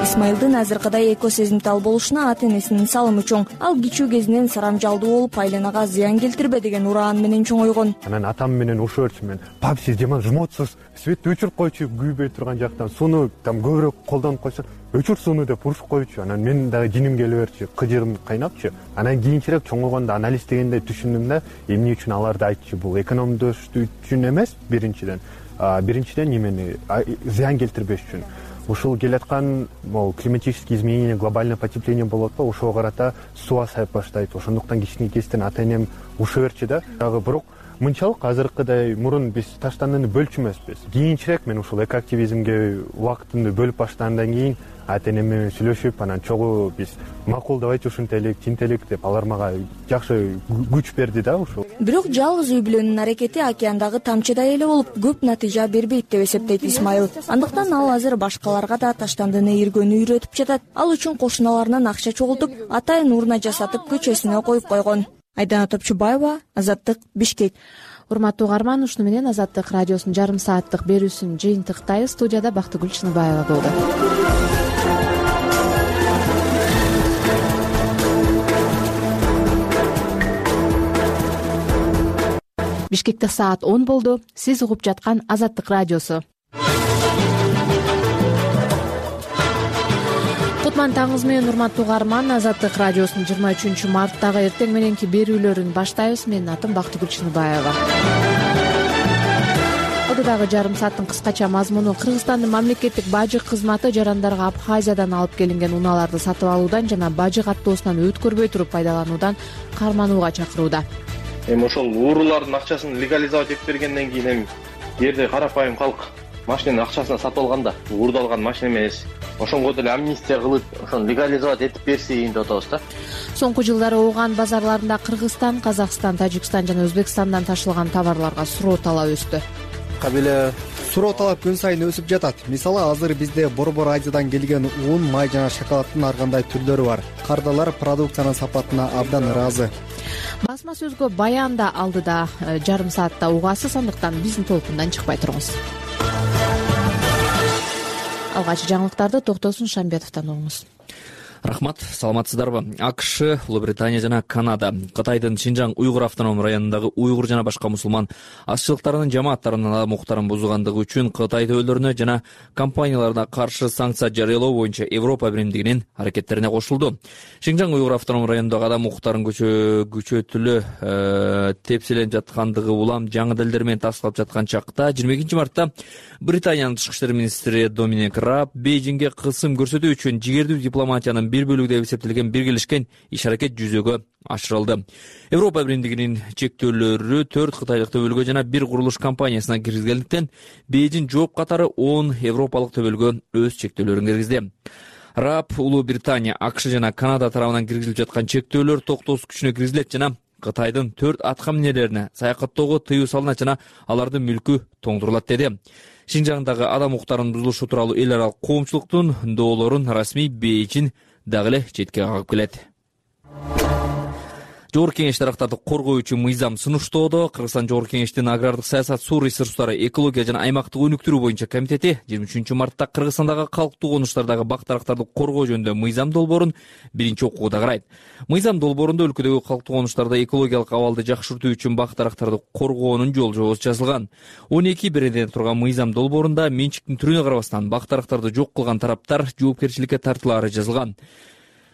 Исмаилдин азыркыдай эко сезимтал болушуна ата энесинин салымы чоң. Ал кичүү кезинен сарамжалдуу болуп, айланага зыян келтирбе деген ураан менен чоңойгон. Анан атам менен ошоочу мен, "Пап, сиз жаман жмотсуз, светти өчүрүп койчу, күйбөй турган жактан, сууну там көбүрөөк колдонуп койсо, өчүр сууну" деп урушуп койчу. Анан мен дагы жиним келе берчү, кыжырым кайнапчы. Анан кийинчерээк чоңойгондо анализ дегенде түшүндүм да, эмне үчүн аларды айтчу. Бул экономдоштуу үчүн эмес, биринчиден. Биринчиден немени зыян келтирбеш үчүн. ушул келаткан могу климатические изменения, глобальное потепление болот атпайбы, ошого карата суу азайып баштайт. Ошондуктан кичине кезден ата энем уша берчи да. Дагы бирок мынчалык азыркыдай мурун биз таштандыны бөлчү эмеспиз. Кийинчерээк мен ушул экоактивизмге убактымды бөлүп баштагандан кийин ата энем менен сүйлөшүп, анан чогуу биз макулдабайчы ушинтелик, тинтелик деп алар мага жакшы күч берди да ушул. Бирок жалгыз үй бүлөнүн аракети океандагы тамчыдай эле болуп, көп натыйжа бербейт деп эсептейт Исмайыл. Андыктан ал азыр башкаларга да таштандыны эргөнү үйрөтүп жатат. Ал үчүн кошуналарынан акча чогултуп, атайын урна жасатып көчөсүнө коюп койгон. Айдана Топчубаева, Азаттык, Бишкек. Урматтуу угарман, ушуну менен Азаттык радиосунун жарым сааттык берүүсүн жыйынтыктайбыз. Студияда Бактыгүл Чыныбаева болду. Бишкекте саат он болду. Сиз угуп жаткан Азаттык радиосу. Кутман таңыңыз менен, урматтуу угарман. Азаттык радиосунун жыйырма үчүнчү марттагы эртең мененки берүүлөрүн баштайбыз. Менин атым Бактыгүл Чыныбаева. Алдыдагы жарым сааттын кыскача мазмуну: Кыргызстандын мамлекеттик бажы кызматы жарандарга Абхазиядан алып келинген унааларды сатып алуудан жана бажы каттоосунан өткөрбөй туруп пайдалануудан карманууга чакырууда. Эми ошол уурулардын акчасын легализовать этип бергенден кийин эми жерде карапайым калк машинанын акчасына сатып алганда уурдалган машина эмес, ошонго деле амнистия кылып, ошону легализовать этип берсин деп атабыз да. Соңку жылдары Ооган базарларында Кыргызстан, Казакстан, Тажикстан жана Өзбекстандан ташылган товарларга суроо талап өстү. Кабеле суроо талап күн сайын өсүп жатат. Мисалы, азыр бизде Борбор Азиядан келген ун, май жана шоколаддын ар кандай түрлөрү бар. Кардалар продукциянын сапатына абдан ыраазы. Басма сөзгө баянда алдыда жарым саатта угасыз, андыктан биздин толкундан чыкпай туруңуз. Алгач жаңылыктарды Токтосун Шамбетовдон угуңуз. Рахмат, саламатсыздарбы? АКШ, Улуу Британия жана Канада Кытайдын Шинжаң уйгур автоном районундагы уйгур жана башка мусулман азчылыктарынын жамааттарынын адам укуктарын бузгандыгы үчүн Кытай төбөлөрүнө жана компанияларына каршы санкция жарыялоо боюнча Европа биримдигинин аракеттерине кошулду. Шинжаң уйгур автоном районундагы адам укуктарын күчөтүлө тепселенип жаткандыгы улам жаңы далилдер менен тасталып жаткан чакта жыйырма экинчи мартта Британиянын тышкы иштер министри Доминик Раб Бейжиңге кысым көрсөтүү үчүн жигердүү дипломатиянын бир бөлүгү деп эсептелген биргелешкен иш-аракет жүзөгө ашырылды. Европа биримдигинин чектөөлөрү төрт кытайлык төбөлгө жана бир курулуш компаниясына киргизилгендиктен Бейжиң жооп катары он европалык төбөлгө өз чектөөлөрүн киргизди. Раб Улуу Британия, АКШ жана Канада тарабынан киргизилип жаткан чектөөлөр токтоосуз күчүнө киргизилет жана Кытайдын төрт атка минерлерине саякаттоого тыюу салынат жана алардын мүлкү тоңдурулат деди. Шинжаңдагы адам укуктарынын бузулушу тууралуу эл аралык коомчулуктун доолорун расмий Бейжиң дагы эле четке кагып келет. Жогорку Кеңеш дарактарды коргоо үчүн мыйзам сунуштоодо. Кыргызстан Жогорку Кеңештин агрардык саясат, суу ресурстары, экология жана аймактык өнүктүрүү боюнча комитети жыйырма үчүнчү мартта Кыргызстандагы калктуу конуштардагы бак дарактарды коргоо жөнүндө мыйзам долбоорун биринчи окууда карайт. Мыйзам долбоорунда өлкөдөгү калктуу конуштарда экологиялык абалды жакшыртуу үчүн бак дарактарды коргоонун жол жобосу жазылган. он эки беренеден турган мыйзам долбоорунда менчиктин түрүнө карабастан бак дарактарды жок кылган тараптар жоопкерчиликке тартылаары жазылган.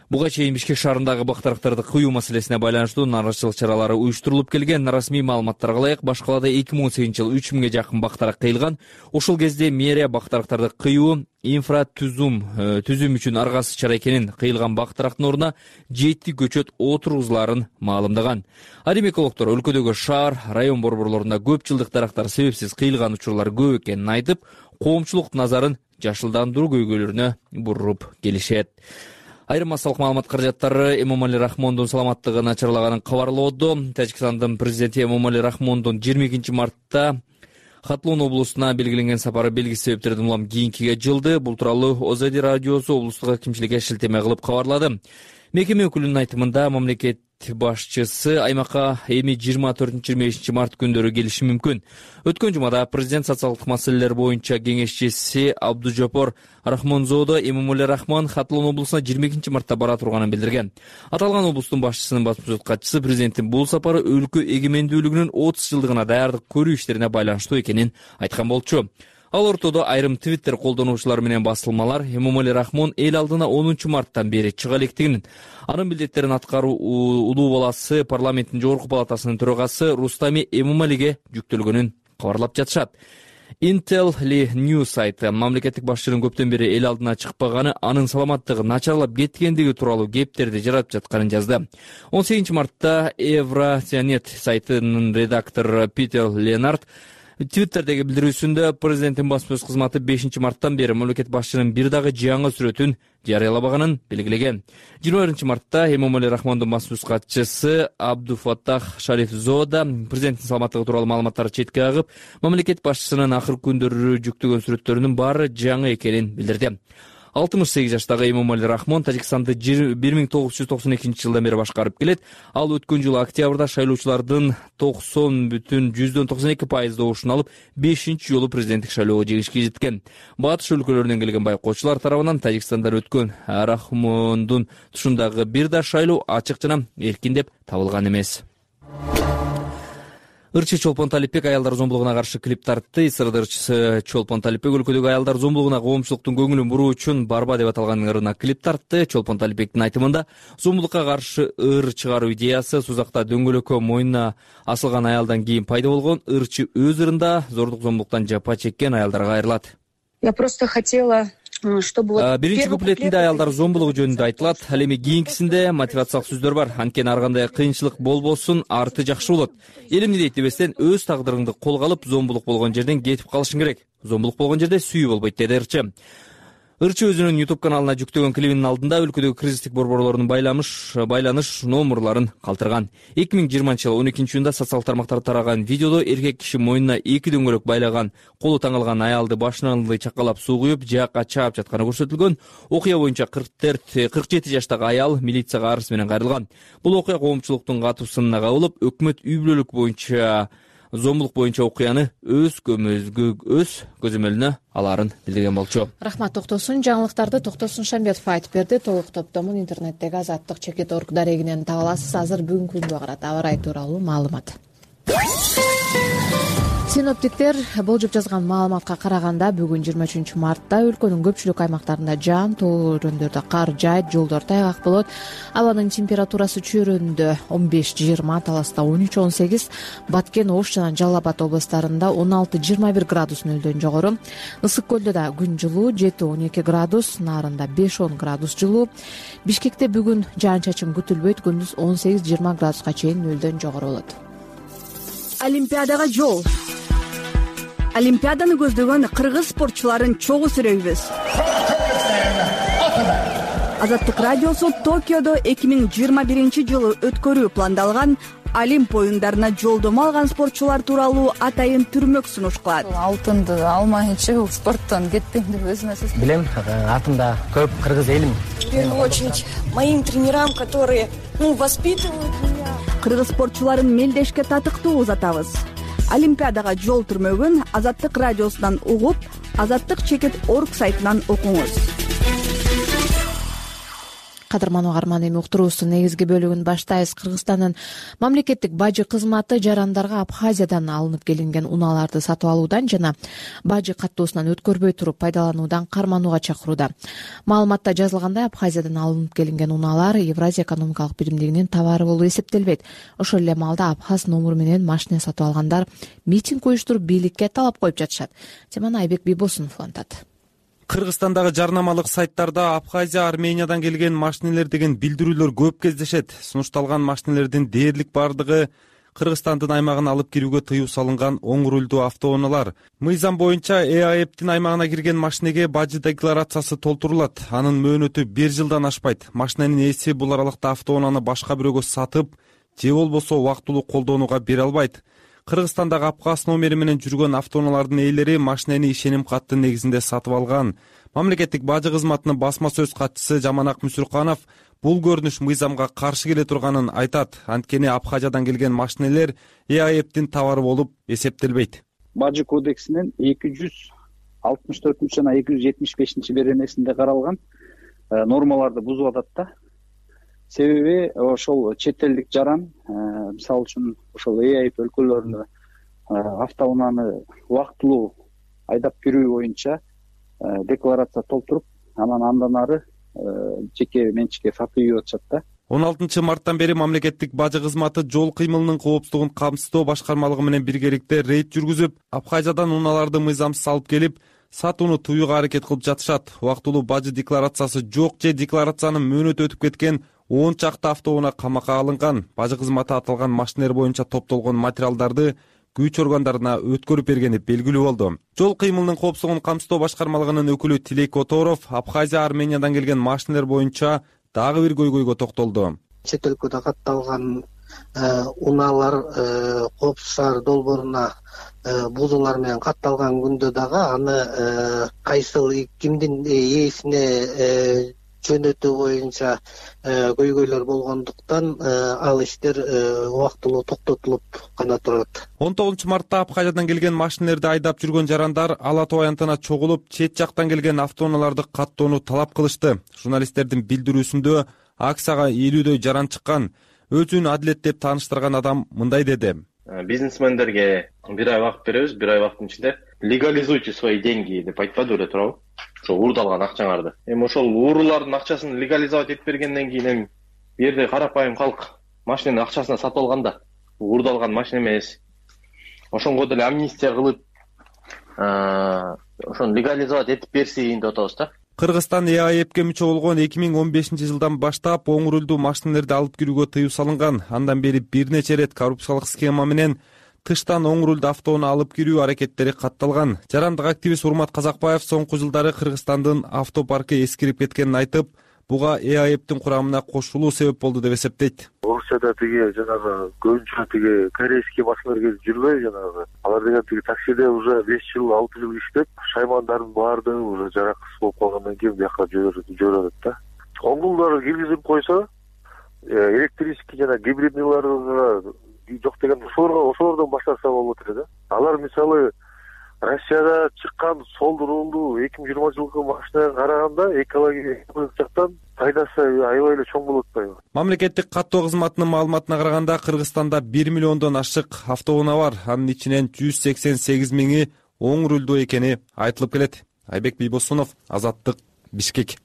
Буга чейин Бишкек шаарындагы бак дарактарды кыюу маселесине байланыштуу нараачылык чаралары уюштурулуп келген. Расмий маалыматтарга ылайык, баш калаада эки миң он сегизинчи жылы үч миңге жакын бак дарак кыйылган. Ошол кезде мэрия бак дарактарды кыюу инфратүзүм түзүм үчүн аргасыз чара экенин, кыйылган бак дарактын ордуна жети көчөт отургузулаарын маалымдаган. Ал эми экологдор өлкөдөгү шаар, район борборлорунда көп жылдык дарактар себепсиз кыйылган учурлар көп экенин айтып, коомчулук назарын жашылдандыруу көйгөйлөрүнө буруп келишет. Айрым массалык маалымат каражаттары Эмомали Рахмондун саламаттыгы начарлаганын кабарлоодо. Тажикстандын президенти Эмомали Рахмондун жыйырма экинчи мартта Хатлон облусуна белгиленген сапары белгисиз себептерден улам кийинкиге жылды. Бул тууралуу Озади радиосу облустук акимчиликке шилтеме кылып кабарлады. Мекеме өкүлүнүн айтымында мамлекет башчысы аймакка эми жыйырма төртүнчү жыйырма бешинчи март күндөрү келиши мүмкүн. Өткөн жумада президент социалдык маселелер боюнча кеңешчиси Абдужапор Рахмонзодо Эмомали Рахмон Хатлон облусуна жыйырма экинчи мартта бара турганын билдирген. Аталган облустун башчысынын басма сөз катчысы президенттин бул сапары өлкө эгемендүүлүгүнүн отуз жылдыгына даярдык көрүү иштерине байланыштуу экенин айткан болчу. Ал ортодо айрым Твиттер колдонуучулар менен басылмалар Эмомали Рахмон эл алдына онунчу марттан бери чыга электигин, анын милдеттерин аткаруу улуу баласы парламенттин жогорку палатасынын төрагасы Рустами Эмомалиге жүктөлгөнүн кабарлап жатышат. Intel Li News сайты мамлекеттик башчынын көптөн бери эл алдына чыкпаганы, анын саламаттыгы начарлап кеткендиги тууралуу кептерди жаратып жатканын жазды. он сегизинчи мартта Евразиянет сайтынын редактору Питер Ленард Twitter'деги билдирүүсүндө президенттин басма сөз кызматы бешинчи марттан бери мамлекет башчынын бир дагы жаңы сүрөтүн жарыялабаганын белгилеген. жыйырма биринчи мартта Эмомали Рахмондун басма сөз катчысы Абдуфаттах Шарифзода президенттин саламаттыгы тууралуу маалыматтарды четке кагып, мамлекет башчысынын акыркы күндөрү жүктөгөн сүрөттөрүнүн баары жаңы экенин билдирди. алтымыш сегиз жаштагы Эмомали Рахмон Тажикстанды бир миң тогуз жүз токсон экинчи жылдан бери башкарып келет. Ал өткөн жылы октябрда шайлоочулардын токсон бүтүн жүздөн токсон эки пайыз добушун алып, бешинчи жолу президенттик шайлоого жеңишке жеткен. Батыш өлкөлөрүнөн келген байкоочулар тарабынан Тажикстандан өткөн Рахмондун тушундагы бир да шайлоо ачык жана эркин деп табылган эмес. Ырчы Чолпон Талипбек аялдар зомбулугуна каршы клип тартты. Ысырды ырчысы Чолпон Талипбек өлкөдөгү аялдар зомбулугуна коомчулуктун көңүлүн буруу үчүн Барба деп аталган ырына клип тартты. Чолпон Талипбектин айтымында зомбулукка каршы ыр чыгаруу идеясы Сузакта дөңгөлөккө мойнуна асылган аялдан кийин пайда болгон. Ырчы өз ырында зордук зомбулуктан жапа чеккен аялдарга кайрылат. Я просто хотела Биринчи куплетинде аялдар зомбулугу жөнүндө айтылат. Ал эми кийинкисинде мотивациялык сөздөр бар. Анткени ар кандай кыйынчылык болбосун, арты жакшы болот. Элимди дейт дебестен өз тагдырыңды колго алып, зомбулук болгон жерден кетип калышың керек. Зомбулук болгон жерде сүйүү болбойт, деди ырчы. Ырчы өзүнүн YouTube каналына жүктөгөн клибинин алдында өлкөдөгү кризистик борборлордун байланыш байланыш номерларын калтырган. эки миң жыйырманчы жылы он экинчи июнда социалдык тармактарда тараган видеодо эркек киши мойнуна эки дөңгөлөк байлаган, колу таңылган аялды башынан алды чакалап суу куюп, жаакка чаап жатканы көрсөтүлгөн. Окуя боюнча кырк жети жаштагы аял милицияга арыз менен кайрылган. Бул окуя коомчулуктун катуусуна кабылып, өкмөт үй бүлөлүк боюнча зомбулук боюнча окуяны өз көмөзгө өз көзөмөлүнө алаарын билдирген болчу. Рахмат, токтосун. Жаңылыктарды Токтосун Шамбетов айтып берди. Толук топтомун интернеттеги азаттык чекит орг дарегинен таба аласыз. Азыр бүгүнкү күнгө карат аба ырайы тууралуу маалымат. Синоптиктер болжоп жазган маалыматка караганда бүгүн жыйырма үчүнчү мартта өлкөнүн көпчүлүк аймактарында жаан, тоо өрөөндөрдө кар жаайт, жолдор тайгак болот. Абанын температурасы чөйрөндө он беш жыйырма, Таласта он үч он сегиз, Баткен, Ош жана Жалал Абад областарында он алты жыйырма бир градус нөлдөн жогору. Ысык көлдө да күн жылуу, жети он эки градус, Нарында беш он градус жылуу. Бишкекте бүгүн жаан-чачын күтүлбөйт, күндүз он сегиз жыйырма градуска чейин нөлдөн жогору болот. Олимпиадага жол. Олимпиаданы көздөгөн кыргыз спортчуларын чогуу сүрөйбүз. Азаттык радиосу Токиодо эки миң жыйырма биринчи жылы өткөрүү пландалган Олимп оюндарына жолдомо алган спортчулар тууралуу атайын түрмөк сунуш кылат. Алтынды алмайынча спорттон кетпейм деп өзүмө сезим. Билем, артымда көп кыргыз элим. В первую очередь моим тренерам, которые, ну, воспитывают меня. Кыргыз спортчуларын мелдешке татыктуу узатабыз. Олимпиадага жол түрмөгүн Азаттык радиосунан угуп, Азаттык чекит орг сайтынан окуңуз. Кадырман угарман, эми уктуруубуздун негизги бөлүгүн баштайбыз. Кыргызстандын мамлекеттик бажы кызматы жарандарга Абхазиядан алынып келинген унааларды сатып алуудан жана бажы каттоосунан өткөрбөй туруп пайдалануудан карманууга чакырууда. Маалыматта жазылгандай, Абхазиядан алынып келинген унаалар Евразия экономикалык биримдигинин товары болуп эсептелбейт. Ошол эле маалда Абхаз номуру менен машина сатып алгандар митинг уюштуруп бийликке талап коюп жатышат. Теманы Айбек Бийбосунов улантат. Кыргызстандагы жарнамалык сайттарда Абхазия, Армениядан келген машинелер деген билдирүүлөр көп кездешет. Сунушталган машинелердин дээрлик бардыгы Кыргызстандын аймагына алып кирүүгө тыюу салынган оң рулдуу автоунаалар. Мыйзам боюнча ЭАЭПтин аймагына кирген машинеге бажы декларациясы толтурулат. Анын мөөнөтү бир жылдан ашпайт. Машиненин ээси бул аралыкта автоунааны башка бирөөгө сатып же болбосо убактылуу колдонууга бере албайт. Кыргызстандагы Абхаз номери менен жүргөн автоунаалардын ээлери машинени ишеним каттын негизинде сатып алган. Мамлекеттик бажы кызматынын басма сөз катчысы Жаманак Мүсүрканов бул көрүнүш мыйзамга каршы келе турганын айтат. Анткени Абхазиядан келген машинелер ЭАЭПтин товары болуп эсептелбейт. Бажы кодексинин эки жүз алтымыш төртүнчү жана эки жүз жетимиш бешинчи беренесинде каралган нормаларды бузуп атат да. Себеби ошол чет элдик жаран, мисалы үчүн ошол ЭАЭП өлкөлөрүнө автоунааны убактылуу айдап кирүү боюнча декларация толтуруп, анан андан ары жеке менчикке сатып үйүп атышат да. он алтынчы марттан бери мамлекеттик бажы кызматы жол кыймылынын коопсуздугун камсыздоо башкармалыгы менен биргеликте рейд жүргүзүп, Абхазиядан унааларды мыйзамсыз алып келип, сатууну тыюуга аракет кылып жатышат. Убактылуу бажы декларациясы жок же декларациянын мөөнөтү өтүп кеткен он чакты автоунаа камакка алынган. Бажы кызматы аталган машинелер боюнча топтолгон материалдарды күч органдарына өткөрүп бергени белгилүү болду. Жол кыймылынын коопсуздугун камсыздоо башкармалыгынын өкүлү Тилек Которов Абхазия, Армениядан келген машинелер боюнча дагы бир көйгөйгө токтолду. Чет өлкөдө катталган унаалар коопсуз шаар долбооруна бузуулар менен катталган күндө дагы аны кайсыл кимдин ээсине жөнөтүү боюнча көйгөйлөр болгондуктан ал иштер убактылуу токтотулуп гана турат. он тогузунчу мартта Абхазиядан келген машинелерди айдап жүргөн жарандар Ала Тоо аянтына чогулуп, чет жактан келген автоунааларды каттоону талап кылышты. Журналисттердин билдирүүсүндө акцияга элүүдөй жаран чыккан. Өзүн адилет деп тааныштырган адам мындай деди. Бизнесмендерге бир ай убакыт беребиз, бир ай убакыттын ичинде легализуйте свои деньги деп айтпады эле туурабы? Ошо уурдалган акчаңарды. Эми ошол уурулардын акчасын легализовать этип бергенден кийин эми бу жерде карапайым калк машиненин акчасына сатып алганда, уурдалган машина эмес. Ошонго деле амнистия кылып, ошону легализовать этип берсин деп атабыз да. Кыргызстан Э А Эпке мүчө болгон эки миң он бешинчи жылдан баштап оң рулдуу машинелерди алып кирүүгө тыюу салынган. Андан бери бир нече ирет коррупциялык схема менен тыштан оң рулду автоунаа алып кирүү аракеттери катталган. Жарандык активист Урмат Казакбаев соңку жылдары Кыргызстандын автопаркы эскирип кеткенин айтып, буга Э А Эптин курамына кошулуу себеп болду деп эсептейт. Орусияда тиги жанагы көбүнчө тиги корейский машиналар келип жүрбөй жанагы. Алар деген тиги таксиде уже беш жыл, алты жыл иштеп, шаймандардын баардыгы уже жараксыз болуп калгандан кийин бияка жиберет да. Оңдулдары киргизип койсо, электрический жана гибридныйларды жок деген ошолордон баштаса болот эле да. Алар мисалы Россияда чыккан сол рулдуу эки миң жыйырма жылкы машинага караганда экологиялык жактан пайдасы аябай эле чоң болуп атпайбы? Мамлекеттик каттоо кызматынын маалыматына караганда Кыргызстанда бир миллиондон ашык автоунаа бар. Анын ичинен жүз сексен сегиз миңи оң рулдуу экени айтылып келет. Айбек Бийбосунов, Азаттык, Бишкек.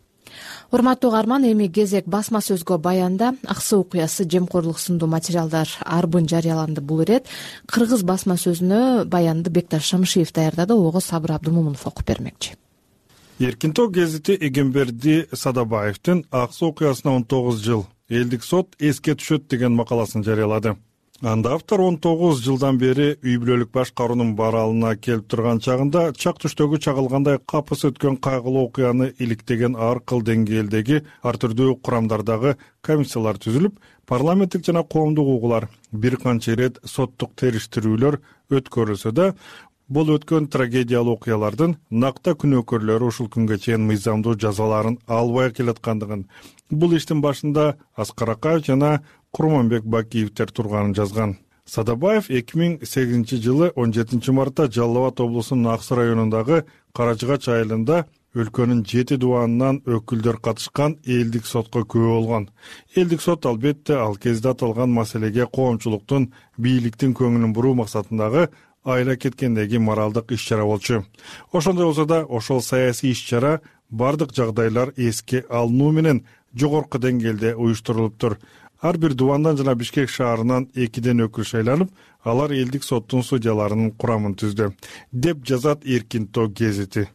Урматтуу угарман, эми кезек басма сөзгө баянда Аксы окуясы, жемкорлук сындуу материалдар арбын жарыяланды. Бул ирет кыргыз басма сөзүнө баянды Бекташ Шамшиев даярдады, ого Сабыр Абдымомунов окуп бермекчи. Эркин тоо гезити Эгемберди Садабаевдин Аксы окуясына он тогуз жыл элдик сот эске түшөт деген макаласын жарыялады. Анда автор он тогуз жылдан бери үй бүлөлүк башкаруунун баралына келип турган чагында чак түштөгү чагылгандай капыс өткөн кайгылуу окуяны иликтеген ар кыл деңгээлдеги ар түрдүү курамдардагы комиссиялар түзүлүп, парламенттик жана коомдук угуулар бир канча ирет соттук териштирүүлөр өткөрүлсө да, бул өткөн трагедиялуу окуялардын накта күнөөкөрлөрү ушул күнгө чейин мыйзамдуу жазаларын албай келаткандыгын, бул иштин башында Аскар Акаев жана Курманбек Бакиевдер турганын жазган. Садабаев эки миң сегизинчи жылы он жетинчи мартта Жалал Абад облусунун Аксы районундагы Карачыгач айылында өлкөнүн жети дубанынан өкүлдөр катышкан элдик сотко күбө болгон. Элдик сот албетте ал кезде аталган маселеге коомчулуктун, бийликтин көңүлүн буруу максатындагы айла кеткендеги моралдык иш-чара болчу. Ошондой болсо да, ошол саясий иш-чара бардык жагдайлар эске алынуу менен жогорку деңгээлде уюштурулуптур. Ар бир дубандан жана Бишкек шаарынан экиден өкүл шайланып, алар элдик соттун судьяларынын курамын түздү, деп жазат Эркин тоо гезити.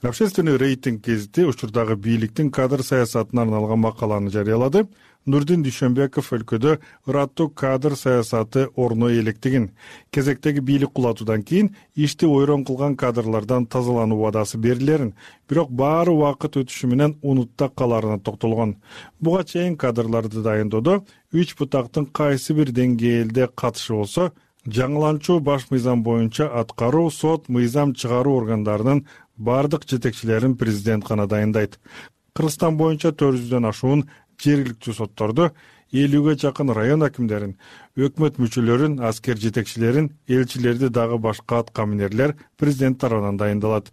Общественный рейтинг гезити учурдагы бийликтин кадр саясатына арналган макаланы жарыялады. Нурдин Дүйшөнбеков өлкөдө ыраттуу кадр саясаты орно электигин, кезектеги бийлик кулатуудан кийин ишти ойрон кылган кадрлардан тазалануу убадасы берилерин, бирок баары убакыт өтүшү менен унутта каларына токтолгон. Буга чейин кадрларды дайындоодо үч бутактын кайсы бир деңгээлде катышы болсо, жаңыланчу баш мыйзам боюнча аткаруу, сот, мыйзам чыгаруу органдарынын бардык жетекчилерин президент гана дайындайт. Кыргызстан боюнча төрт жүздөн ашуун жергиликтүү сотторду, элүүгө жакын район акимдерин, өкмөт мүчөлөрүн, аскер жетекчилерин, элчилерди дагы башка аткаминерлер президент тарабынан дайындалат.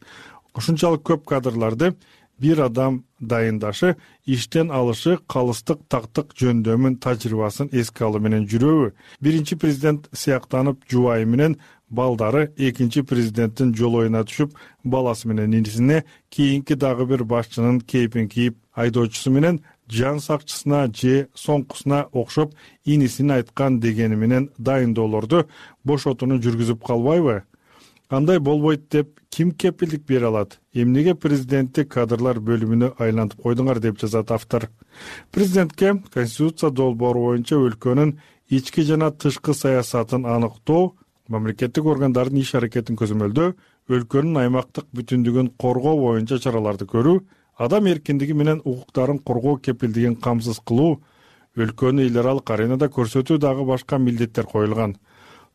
Ушунчалык көп кадрларды бир адам дайындашы, иштен алышы, калыстык тактык жөндөмүн тажрыйбасын эске алуу менен жүрөбү. Биринчи президент сыяктанып жубайы менен балдары, экинчи президенттин жолоюна түшүп, баласы менен инисине, кийинки дагы бир башчынын кейпин кийип, айдоочусу менен жан сакчысына же соңкусуна окшоп инисин айткан дегени менен дайындоолорду бошотууну жүргүзүп калбайбы? Андай болбойт деп ким кепилдик бере алат? Эмнеге президентти кадрлар бөлүмүнө айлантып койдуңар деп жазат автор. Президентке Конституция долбоору боюнча өлкөнүн ички жана тышкы саясатын аныктоо, мамлекеттик органдардын иш аракетин көзөмөлдөө, өлкөнүн аймактык бүтүндүгүн коргоо боюнча чараларды көрүү, адам эркиндиги менен укуктарын коргоо кепилдигин камсыз кылуу, өлкөнү эл аралык аренада көрсөтүү дагы башка милдеттер коюлган.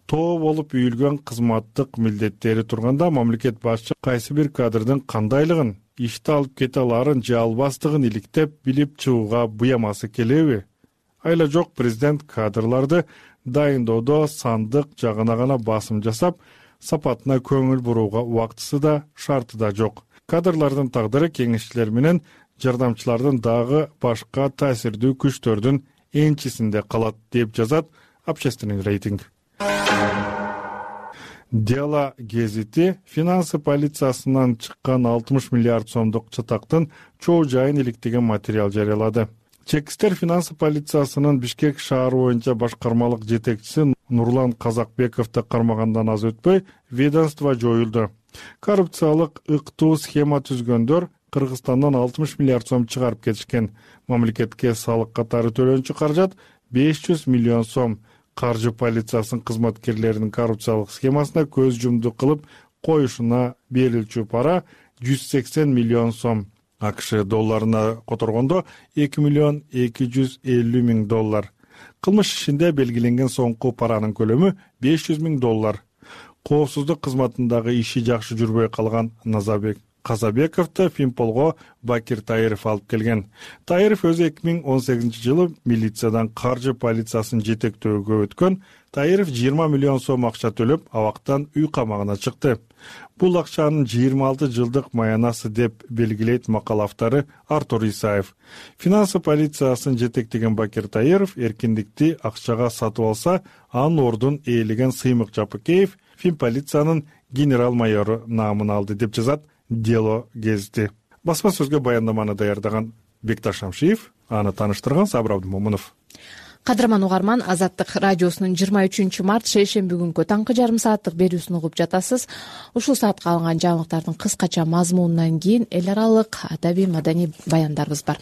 Тоо болуп үйүлгөн кызматтык милдеттери турганда мамлекет башчы кайсы бир кадрдын кандайлыгын, ишти алып кете аларын же албастыгын иликтеп билип чыгууга буямасы келеби? Айла жок, президент кадрларды дайындоодо сандык жагына гана басым жасап, сапатына көңүл бурууга убактысы да, шарты да жок. Кадрлардын тагдыры кеңешчилер менен жардамчылардын дагы башка таасирдүү күчтөрдүн энчисинде калат деп жазат Общественный рейтинг. Дело гезити финансы полициясынан чыккан алтымыш миллиард сомдук чатактын чоо жайын иликтеген материал жарыялады. Чекистер финансы полициясынын Бишкек шаары боюнча башкармалык жетекчиси Нурлан Казакбековду кармагандан аз өтпөй ведомство жоюлду. Коррупциялык ыктуу схема түзгөндөр Кыргызстандан алтымыш миллиард сом чыгарып кетишкен. Мамлекетке салык катары төлөнчү каражат беш жүз миллион сом. Каржы полициясынын кызматкерлеринин коррупциялык схемасына көз жумду кылып коюшуна берилчү пара жүз сексен миллион сом. АКШ долларына которгондо эки миллион эки жүз элүү миң доллар. Кылмыш ишинде белгиленген соңку паранын көлөмү беш жүз миң доллар. Коопсуздук кызматындагы иши жакшы жүрбөй калган Назарбек Казабековду Фимполго Бакир Таиров алып келген. Таиров өзү эки миң он сегизинчи жылы милициядан каржы полициясын жетектөөгө өткөн. Таиров жыйырма миллион сом акча төлөп, абактан үй камагына чыкты. Бул акчанын жыйырма алты жылдык маянасы деп белгилейт макала автору Артур Исаев. Финансы полициясын жетектеген Бакир Таиров эркиндикти акчага сатып алса, анын ордун ээлеген Сыймык Жапыкеев Финполициянын генерал майору наамын алды деп жазат Дело гезити. Басма сөзгө баяндаманы даярдаган Бекташ Шамшиев, аны тааныштырган Сабыр Абдымомунов. Кадырман угарман, Азаттык радиосунун жыйырма үчүнчү март шейшемби күнгү таңкы жарым сааттык берүүсүн угуп жатасыз. Ушул саатка алынган жаңылыктардын кыскача мазмунунан кийин эл аралык адабий маданий баяндарыбыз бар.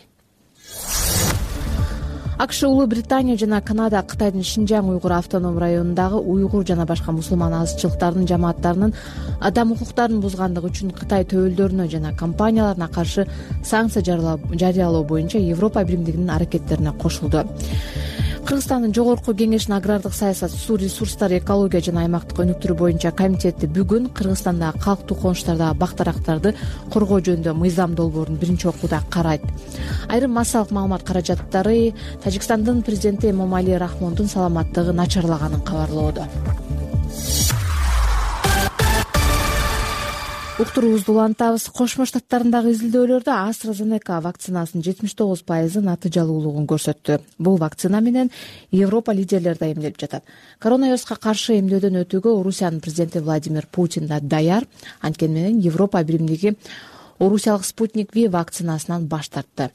АКШ, Улуу Британия жана Канада Кытайдын Шинжаң уйгур автоном районундагы уйгур жана башка мусулман азчылыктардын жамааттарынын адам укуктарын бузгандыгы үчүн Кытай төбөлдөрүнө жана компанияларына каршы санкция жарыялоо боюнча Европа биримдигинин аракеттерине кошулду. Кыргызстандын Жогорку Кеңешинин агрардык саясат, суу ресурстары, экология жана аймактык өнүктүрүү боюнча комитети бүгүн Кыргызстандагы калктуу конуштардагы бактарактарды коргоо жөнүндө мыйзам долбоорун биринчи окууда карайт. Айрым массалык маалымат каражаттары Тажикстандын президенти Эмомали Рахмондун саламаттыгы начарлаганын кабарлоодо. Уктуруубузду улантабыз. Кошмо Штаттарындагы изилдөөлөрдө AstraZeneca вакцинасынын жетимиш тогуз пайызы натыйжалуулугун көрсөттү. Бул вакцина менен Европа лидерлери да эмделип жатат. Коронавируска каршы эмдөөдөн өтүүгө Орусиянын президенти Владимир Путин да даяр. Анткени менен Европа биримдиги орусиялык Спутник V вакцинасынан баш тартты.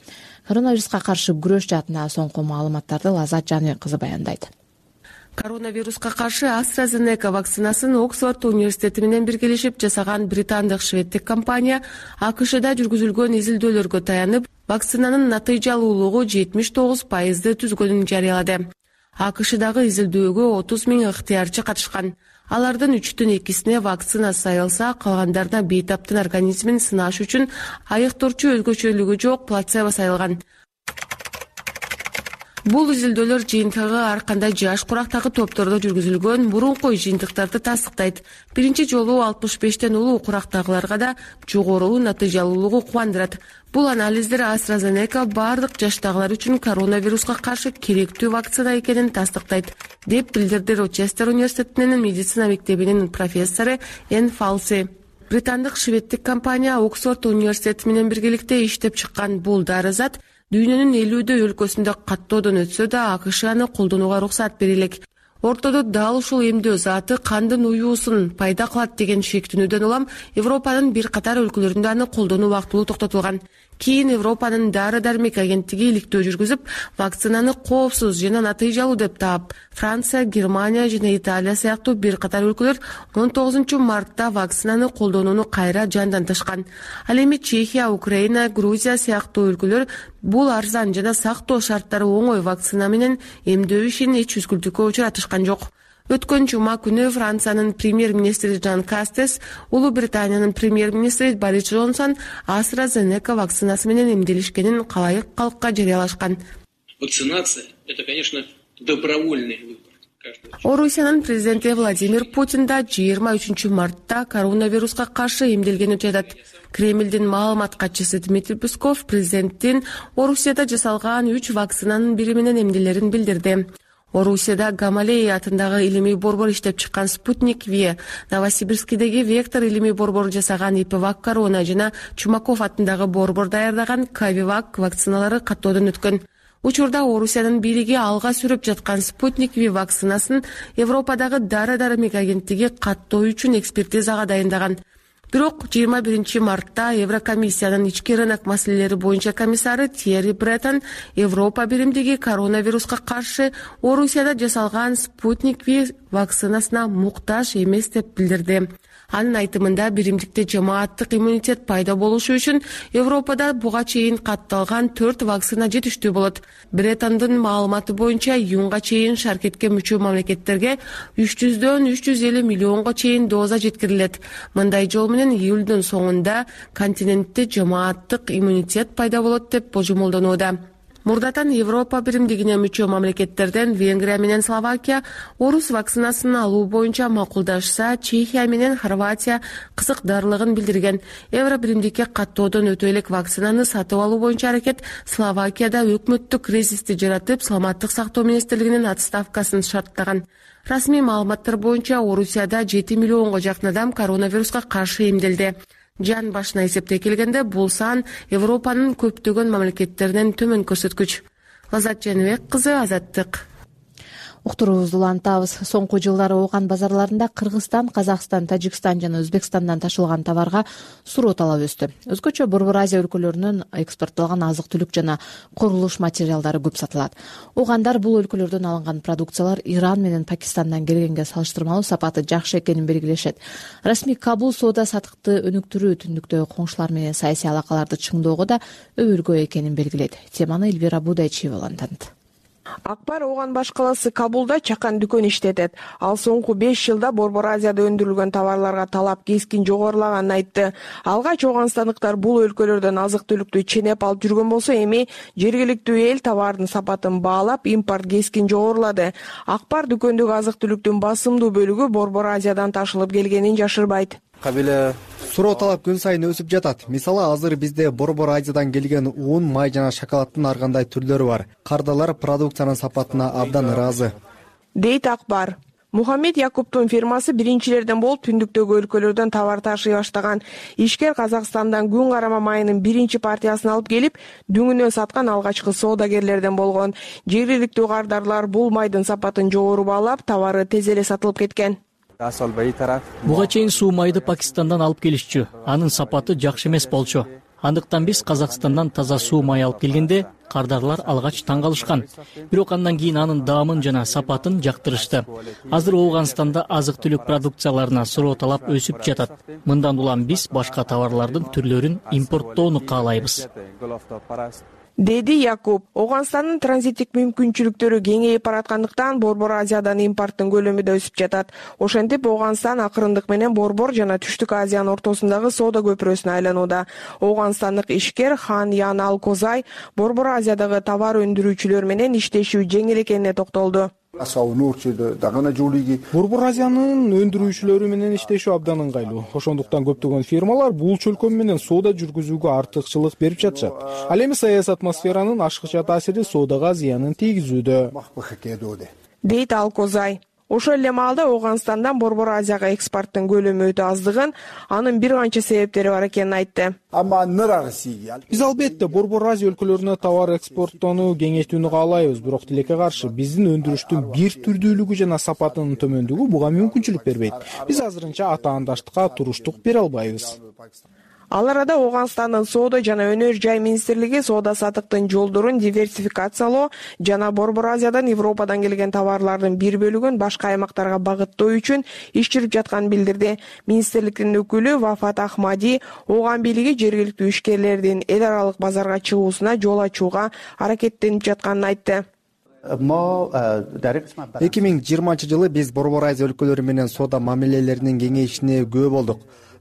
Коронавируска каршы күрөш жаатындагы соңку маалыматтарды Лазат Жаныбек кызы баяндайт. Коронавируска каршы AstraZeneca вакцинасын Оксфорд университети менен биргелешип жасаган британдык шведтик компания АКШда жүргүзүлгөн изилдөөлөргө таянып, вакцинанын натыйжалуулугу жетимиш тогуз пайызды түзгөнүн жарыялады. АКШдагы изилдөөгө отуз миң ыктыярчы катышкан. Алардын үчтөн экисине вакцина сайылса, калгандарына бейтаптын организмин сынаш үчүн айыктоочу өзгөчөлүгү жок плацебо сайылган. Бул изилдөөлөр жыйынтыгы ар кандай жаш курактагы топтордо жүргүзүлгөн мурунку жыйынтыктарды тастыктайт. Биринчи жолу алтымыш бештен улуу курактагыларга да жогору натыйжалуулугу кубандырат. Бул анализдер AstraZeneca бардык жаштагылар үчүн коронавируска каршы керектүү вакцина экенин тастыктайт, деп билдирди Рочестер университетинин медицина мектебинин профессору Эн Фалси. Британдык шведтик компания Оксфорд университети менен биргеликте иштеп чыккан бул дары зат дүйнөнүн элүүдөй өлкөсүндө каттоодон өтсө да АКШ аны колдонууга уруксат бере элек. ортодо дал ушул эмдөө заты кандын уюусун пайда кылат деген шектүүнүдөн улам Европанын бир катар өлкөлөрүндө аны колдонуу убактылуу токтотулган. Кийин Европанын дары дармек агенттиги иликтөө жүргүзүп, вакцинаны коопсуз жана натыйжалуу деп таап, Франция, Германия жана Италия сыяктуу бир катар өлкөлөр он тогузунчу мартта вакцинаны колдонууну кайра жандантышкан. Ал эми Чехия, Украина, Грузия сыяктуу өлкөлөр бул арзан жана сактоо шарттары оңой вакцина менен эмдөө ишин эч үзгүлтүккө учуратышкан жок. Өткөн жума күнү Франциянын премьер-министри Жан Кастес, Улуу Британиянын премьер-министри Борис Джонсон AstraZeneca вакцинасы менен эмделишкенин калайык калкка жарыялашкан. Вакцинация — это, конечно, добровольный выбор. Орусиянын президенти Владимир Путин да жыйырма үчүнчү мартта коронавируска каршы эмделгени жатат. Кремлдин маалымат катчысы Дмитрий Песков президенттин Орусияда жасалган үч вакцинанын бири менен эмделерин билдирди. Орусияда Гамалеи атындагы илимий борбор иштеп чыккан Спутник Ви, Новосибирскидеги Вектор илимий борбору жасаган Ипвак Корона жана Чумаков атындагы борбор даярдаган Кавивак вакциналары каттоодон өткөн. Учурда Орусиянын бийлиги алга сүрүп жаткан Спутник Ви вакцинасын Европадагы дары дармек агенттиги каттоо үчүн экспертизага дайындаган. Бирок жыйырма биринчи мартта Еврокомиссиянын ички рынок маселелери боюнча комиссары Тьерри Бреттон Европа биримдиги коронавируска каршы Орусияда жасалган Спутник Ви вакцинасына муктаж эмес деп билдирди. Анын айтымында биримдикте жамааттык иммунитет пайда болушу үчүн Европада буга чейин катталган төрт вакцина жетиштүү болот. Бреттондун маалыматы боюнча июнга чейин шаркетке мүчө мамлекеттерге үч жүздөн үч жүз элүү миллионго чейин доза жеткирилет. Мындай жол менен июлдун соңунда континентте жамааттык иммунитет пайда болот деп божомолдонууда. Мурдатан Европа биримдигине мүчө мамлекеттерден Венгрия менен Словакия орус вакцинасын алуу боюнча макулдашса, Чехия менен Хорватия кызыкдарлыгын билдирген. Евро биримдикке каттоодон өтө элек вакцинаны сатып алуу боюнча аракет Словакияда өкмөттүк кризисти жаратып, саламаттык сактоо министрлигинин отставкасын шарттаган. Расмий маалыматтар боюнча Орусияда жети миллионго жакын адам коронавируска каршы эмделди. Жан башына эсептей келгенде бул сан Европанын көптөгөн мамлекеттеринен төмөн көрсөткүч. Азат Жаныбек кызы, Азаттык. Уктуруубузду улантабыз. Соңку жылдары Ооган базарларында Кыргызстан, Казакстан, Тажикстан жана Өзбекстандан ташылган товарга суроо талап өстү. Өзгөчө Борбор Азия өлкөлөрүнөн экспорттолгон азык-түлүк жана курулуш материалдары көп сатылат. Оогандар бул өлкөлөрдөн алынган продукциялар Иран менен Пакистандан келгенге салыштырмалуу сапаты жакшы экенин белгилешет. Расмий Кабул соода саттыкты өнүктүрүү, түндүктөгү коңшулар менен саясий алакаларды чыңдоого да өбөлгөө экенин белгилейт. Теманы Элвира Будайчиева улантат. Акбар Ооган баш каласы Кабулда чакан дүкөн иштетет. Ал соңку беш жылда Борбор Азияда өндүрүлгөн товарларга талап кескин жогорулаганын айтты. Алгач ооганстандыктар бул өлкөлөрдөн азык-түлүктү ченеп алып жүргөн болсо, эми жергиликтүү эл товардын сапатын баалап, импорт кескин жогорулады. Акбар дүкөндөгү азык-түлүктүн басымдуу бөлүгү Борбор Азиядан ташылып келгенин жашырбайт. Суроо талап күн сайын өсүп жатат. Мисалы, азыр бизде Борбор Азиядан келген уун, май жана шоколаддын ар кандай түрлөрү бар. Кардалар продукциянын сапатына абдан ыраазы, дейт Акбар. Мухаммед Якуптун фирмасы биринчилерден болуп түндүктөгү өлкөлөрдөн товар ташый баштаган. Ишкер Казакстандан күн карама майынын биринчи партиясын алып келип, дүңүнөн саткан алгачкы соодагерлерден болгон. Жергиликтүү кардарлар бул майдын сапатын жогору баалап, товары тез эле сатылып кеткен. Буга чейин суу майды Пакистандан алып келишчү. Анын сапаты жакшы эмес болчу. Андыктан биз Казакстандан таза суу май алып келгенде кардарлар алгач таң калышкан. Бирок андан кийин анын даамын жана сапатын жактырышты. Азыр Ооганстанда азык-түлүк продукцияларына суроо талап өсүп жатат. Мындан улам биз башка товарлардын түрлөрүн импорттоону каалайбыз, деди Якуб. Ооганстандын транзиттик мүмкүнчүлүктөрү кеңейип бараткандыктан Борбор Азиядан импорттун көлөмү да өсүп жатат. Ошентип Ооганстан акырындык менен Борбор жана Түштүк Азиянын ортосундагы соода көпүрөсүнө айланууда. Ооганстандык ишкер Хан Ян Ал Козай Борбор Азиядагы товар өндүрүүчүлөр менен иштешүү жеңил экенине токтолду. Борбор Азиянын өндүрүүчүлөрү менен иштешүү абдан ыңгайлуу. Ошондуктан көптөгөн фирмалар бул чөлкөм менен соода жүргүзүүгө артыкчылык берип жатышат. Ал эми саясий атмосферанын ашыкча таасири соодага зыянын тийгизүүдө, дейт Ал Козай. Ошол эле маалда Ооганстандан Борбор Азияга экспорттун көлөмү өтө аздыгын, анын бир канча себептери бар экенин айтты. Биз албетте Борбор Азия өлкөлөрүнө товар экспорттоону кеңейтүүнү каалайбыз, бирок тилекке каршы биздин өндүрүштүн бир түрдүүлүгү жана сапатынын төмөндүгү буга мүмкүнчүлүк бербейт. Биз азырынча атаандаштыкка туруштук бере албайбыз. Ал арада Ооганстандын соода жана өнөр жай министрлиги соода саттыктын жолдорун диверсификациялоо жана Борбор Азиядан Европадан келген товарлардын бир бөлүгүн башка аймактарга багыттоо үчүн иш жүрүп жатканын билдирди. Министрликтин өкүлү Вафат Ахмади Ооган бийлиги жергиликтүү ишкерлердин эл аралык базарга чыгуусуна жол ачууга аракеттенип жатканын айтты. эки миң жыйырманчы жылы биз Борбор Азия өлкөлөрү менен соода мамилелеринин кеңейишине күбө болдук.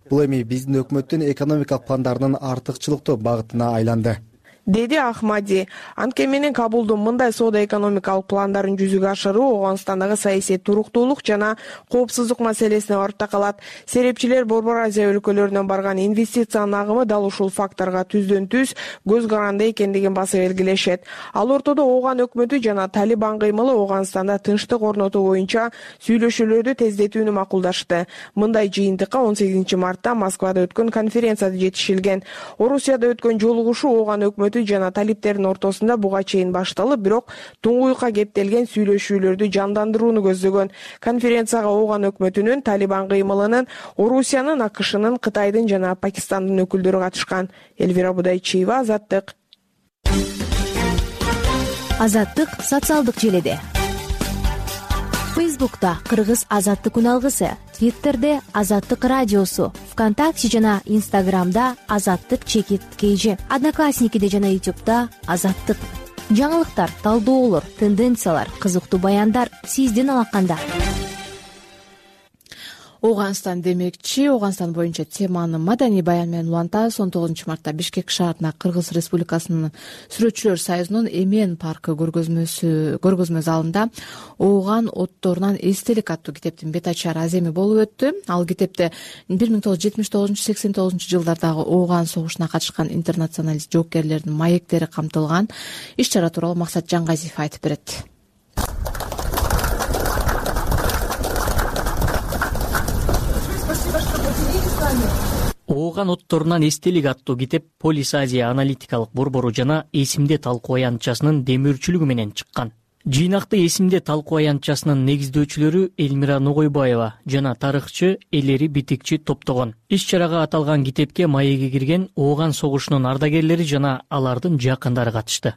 Бул эми биздин өкмөттүн экономикалык пландарынын артыкчылыктуу багытына айланды, деди Ахмади. Анткени менен Кабулдун мындай соода экономикалык пландарын жүзүгө ашыруу Ооганстандагы саясий туруктуулук жана коопсуздук маселесине барып такалат. Серепчилер Борбор Азия өлкөлөрүнөн барган инвестициянын агымы дал ушул факторго түздөн түз көз каранды экендигин басып белгилешет. Ал ортодо Ооган өкмөтү жана Талибан кыймылы Ооганстанда тынчтык орнотуу боюнча сүйлөшүүлөрдү тездетүүнү макулдашты. Мындай жыйынтыкка он сегизинчи мартта Москвада өткөн конференцияда жетишилген. Орусияда өткөн жолугушуу Ооган өкмөтү жана талиптердин ортосунда буга чейин башталып, бирок туңгуюкка кептелген сүйлөшүүлөрдү жандандырууну көздөгөн. Конференцияга Ооган өкмөтүнүн, Талибан кыймылынын, Орусиянын, АКШнын, Кытайдын жана Пакистандын өкүлдөрү катышкан. Элвира Будайчиева, Азаттык. Азаттык социалдык желеде. Фейсбукта Кыргыз Азаттык күн алгысы, Твиттерде Азаттык радиосу, ВКонтакте жана Инстаграмда Азаттык чекит кейжи, Одноклассникиде жана Ютубта Азаттык. Жаңылыктар, талдоолор, тенденциялар, кызыктуу баяндар сиздин алаканда. Ооганстан демекчи, Ооганстан боюнча теманы маданий баян менен улантабыз. он тогузунчу мартта Бишкек шаарына Кыргыз Республикасынын Сүрөтчүлөр союзунун Эмен паркы көргөзмөсү көргөзмө залында Ооган отторунан эстелик аттуу китептин бет ачар аземи болуп өттү. Ал китепте бир миң тогуз жүз жетимиш тогузунчу сексен тогузунчу жылдардагы Ооган согушуна катышкан интернационалист жоокерлердин маектери камтылган. Иш чара тууралуу Максат Жаңгазиев айтып берет. Ооган отторунан эстелик аттуу китеп Полис Азия аналитикалык борбору жана эсимде талкуу аянтчасынын демөөрчүлүгү менен чыккан. Жыйнакты эсимде талкуу аянтчасынын негиздөөчүлөрү Элмира Ногойбаева жана тарыхчы Элери Битикчи топтогон. Иш чарага аталган китепке маегге кирген Ооган согушунун ардагерлери жана алардын жакындары катышты.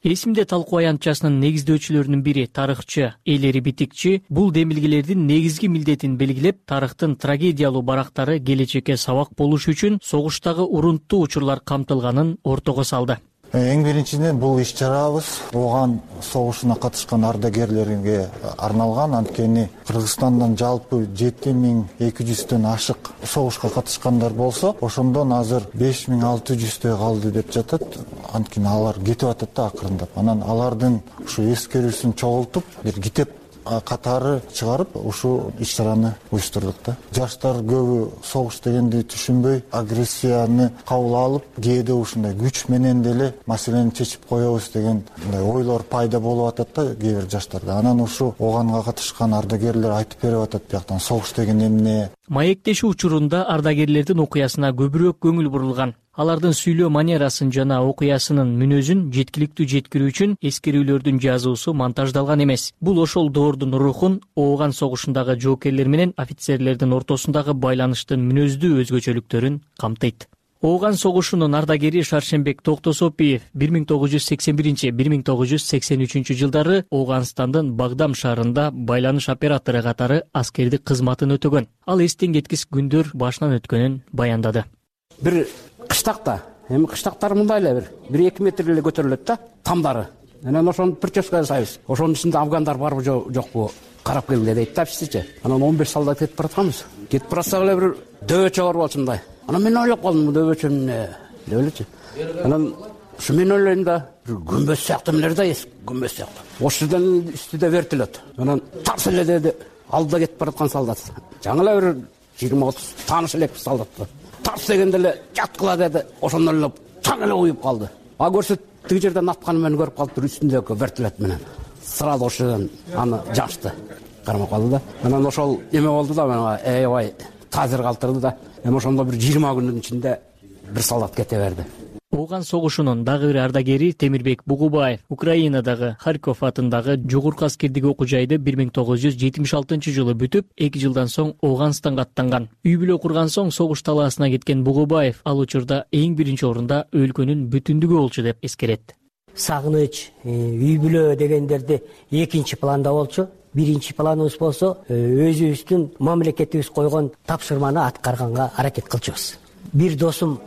Эсимде талкуу аянтчасынын негиздөөчүлөрүнүн бири тарыхчы Элери Битикчи бул демилгелердин негизги милдетин белгилеп, тарыхтын трагедиялуу барактары келечекке сабак болуш үчүн согуштагы урунттуу учурлар камтылганын ортого салды. Эң биринчиден бул иш чарабыз Ооган согушуна катышкан ардагерлерге арналган. Анткени Кыргызстандан жалпы жети миң эки жүздөн ашык согушка катышкандар болсо, ошондон азыр беш миң алты жүздөй калды деп жатат. Анткени алар кетип атат да акырындап. Анан алардын ушу эскерүүсүн чогултуп, бир китеп катары чыгарып, ушул иш чараны уюштурдук да. Жаштар көбү согуш дегенди түшүнбөй, агрессияны кабыл алып, кээде ушундай күч менен деле маселени чечип коебуз деген мындай ойлор пайда болуп атат да кээ бир жаштарда. Анан ушу Ооганга катышкан ардагерлер айтып берип атат бияктан согуш деген эмне. Маектешүү учурунда ардагерлердин окуясына көбүрөөк көңүл бурулган. Алардын сүйлөө манерасын жана окуясынын мүнөзүн жеткиликтүү жеткирүү үчүн эскерүүлөрдүн жазуусу монтаждалган эмес. Бул ошол доордун рухун, Ооган согушундагы жоокерлер менен офицерлердин ортосундагы байланыштын мүнөздүү өзгөчөлүктөрүн камтыйт. Ооган согушунун ардагери Шаршембек Токтосопиев бир миң тогуз жүз сексен биринчи — бир миң тогуз жүз сексен үчүнчү жылдары Ооганстандын Багдам шаарында байланыш оператору катары аскердик кызматын өтөгөн. Ал эстен кеткис күндөр башынан өткөнүн баяндады. Бир кыштакта, эми кыштактар мындай эле бир бир эки метр эле көтөрүлөт да, тамдары. Анан ошону прическа жасайбыз. Ошонун ичинде афгандар барбы жокпу карап келгиле дейт да бизчи. Анан он беш солдат кетип баратканбыз. Кетип барсак эле бир дөбөчө бар болчу мындай. Анан мен ойлоп калдым, дөбөчө эмне деп элечи. Анан ушу мен ойлойм да, бир күмбөз сыяктуу эмнелер да, күмбөз сыяктуу. Ошол жерден үстүдө вертолет. Анан тарс эле деди, алдыда кетип бараткан солдат. Жаңы эле бир жыйырма отуз тааныш элек солдат. Тарс дегенде эле жаткыла деди. Ошондон эле таң эле уюп калды. А көрсөт тиги жерден атканы менен көрүп калыптыр, үстүндөгү вертолет менен сразу ошол жерден аны жашты, кармап калды да. Анан ошол эме болду да, мага аябай таасир калтырды да. Эми ошондо бир жыйырма күндүн ичинде бир солдат кете берди. Ооган согушунун дагы бир ардагери Темирбек Бугубаев Украинадагы Харьков атындагы жогорку аскердик окуу жайды бир миң тогуз жүз жетимиш алтынчы жылы бүтүп, эки жылдан соң Ооганстанга аттанган. Үй бүлө курган соң согуш талаасына кеткен Бугубаев ал учурда эң биринчи орунда өлкөнүн бүтүндүгү болчу деп эскерет. Сагыныч, үй бүлө дегендерди экинчи планда болчу. Биринчи планыбыз болсо, өзүбүздүн мамлекетибиз койгон тапшырманы аткарганга аракет кылчубуз. Бир досум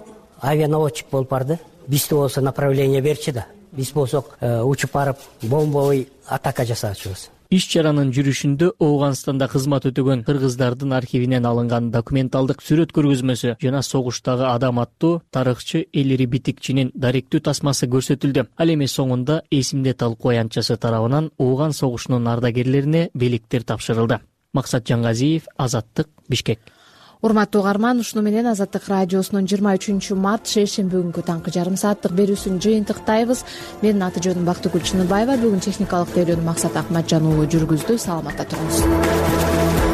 авианаводчик болуп барды. Бизде болсо направление берчи да. Биз болсок учуп барып бомбовый атака жасаачубуз. Иш чаранын жүрүшүндө Ооганстанда кызмат өтөгөн кыргыздардын архивинен алынган документалдык сүрөт көргөзмөсү жана согуштагы адам аттуу тарыхчы Элири Битикчинин даректүү тасмасы көрсөтүлдү. Ал эми соңунда эсимде талкуу аянтчасы тарабынан Ооган согушунун ардагерлерине белектер тапшырылды. Максат Жангазиев, Азаттык, Бишкек. Урматтуу угарман, ушуну менен Азаттык радиосунун жыйырма үчүнчү март шейшемби күнгү таңкы жарым сааттык берүүсүн жыйынтыктайбыз. Менин аты жөнүм Бактыгүл Чыныбаева. Бүгүн техникалык тейлөөнү Максат Акматжан уулу жүргүздү. Саламатта туруңуз.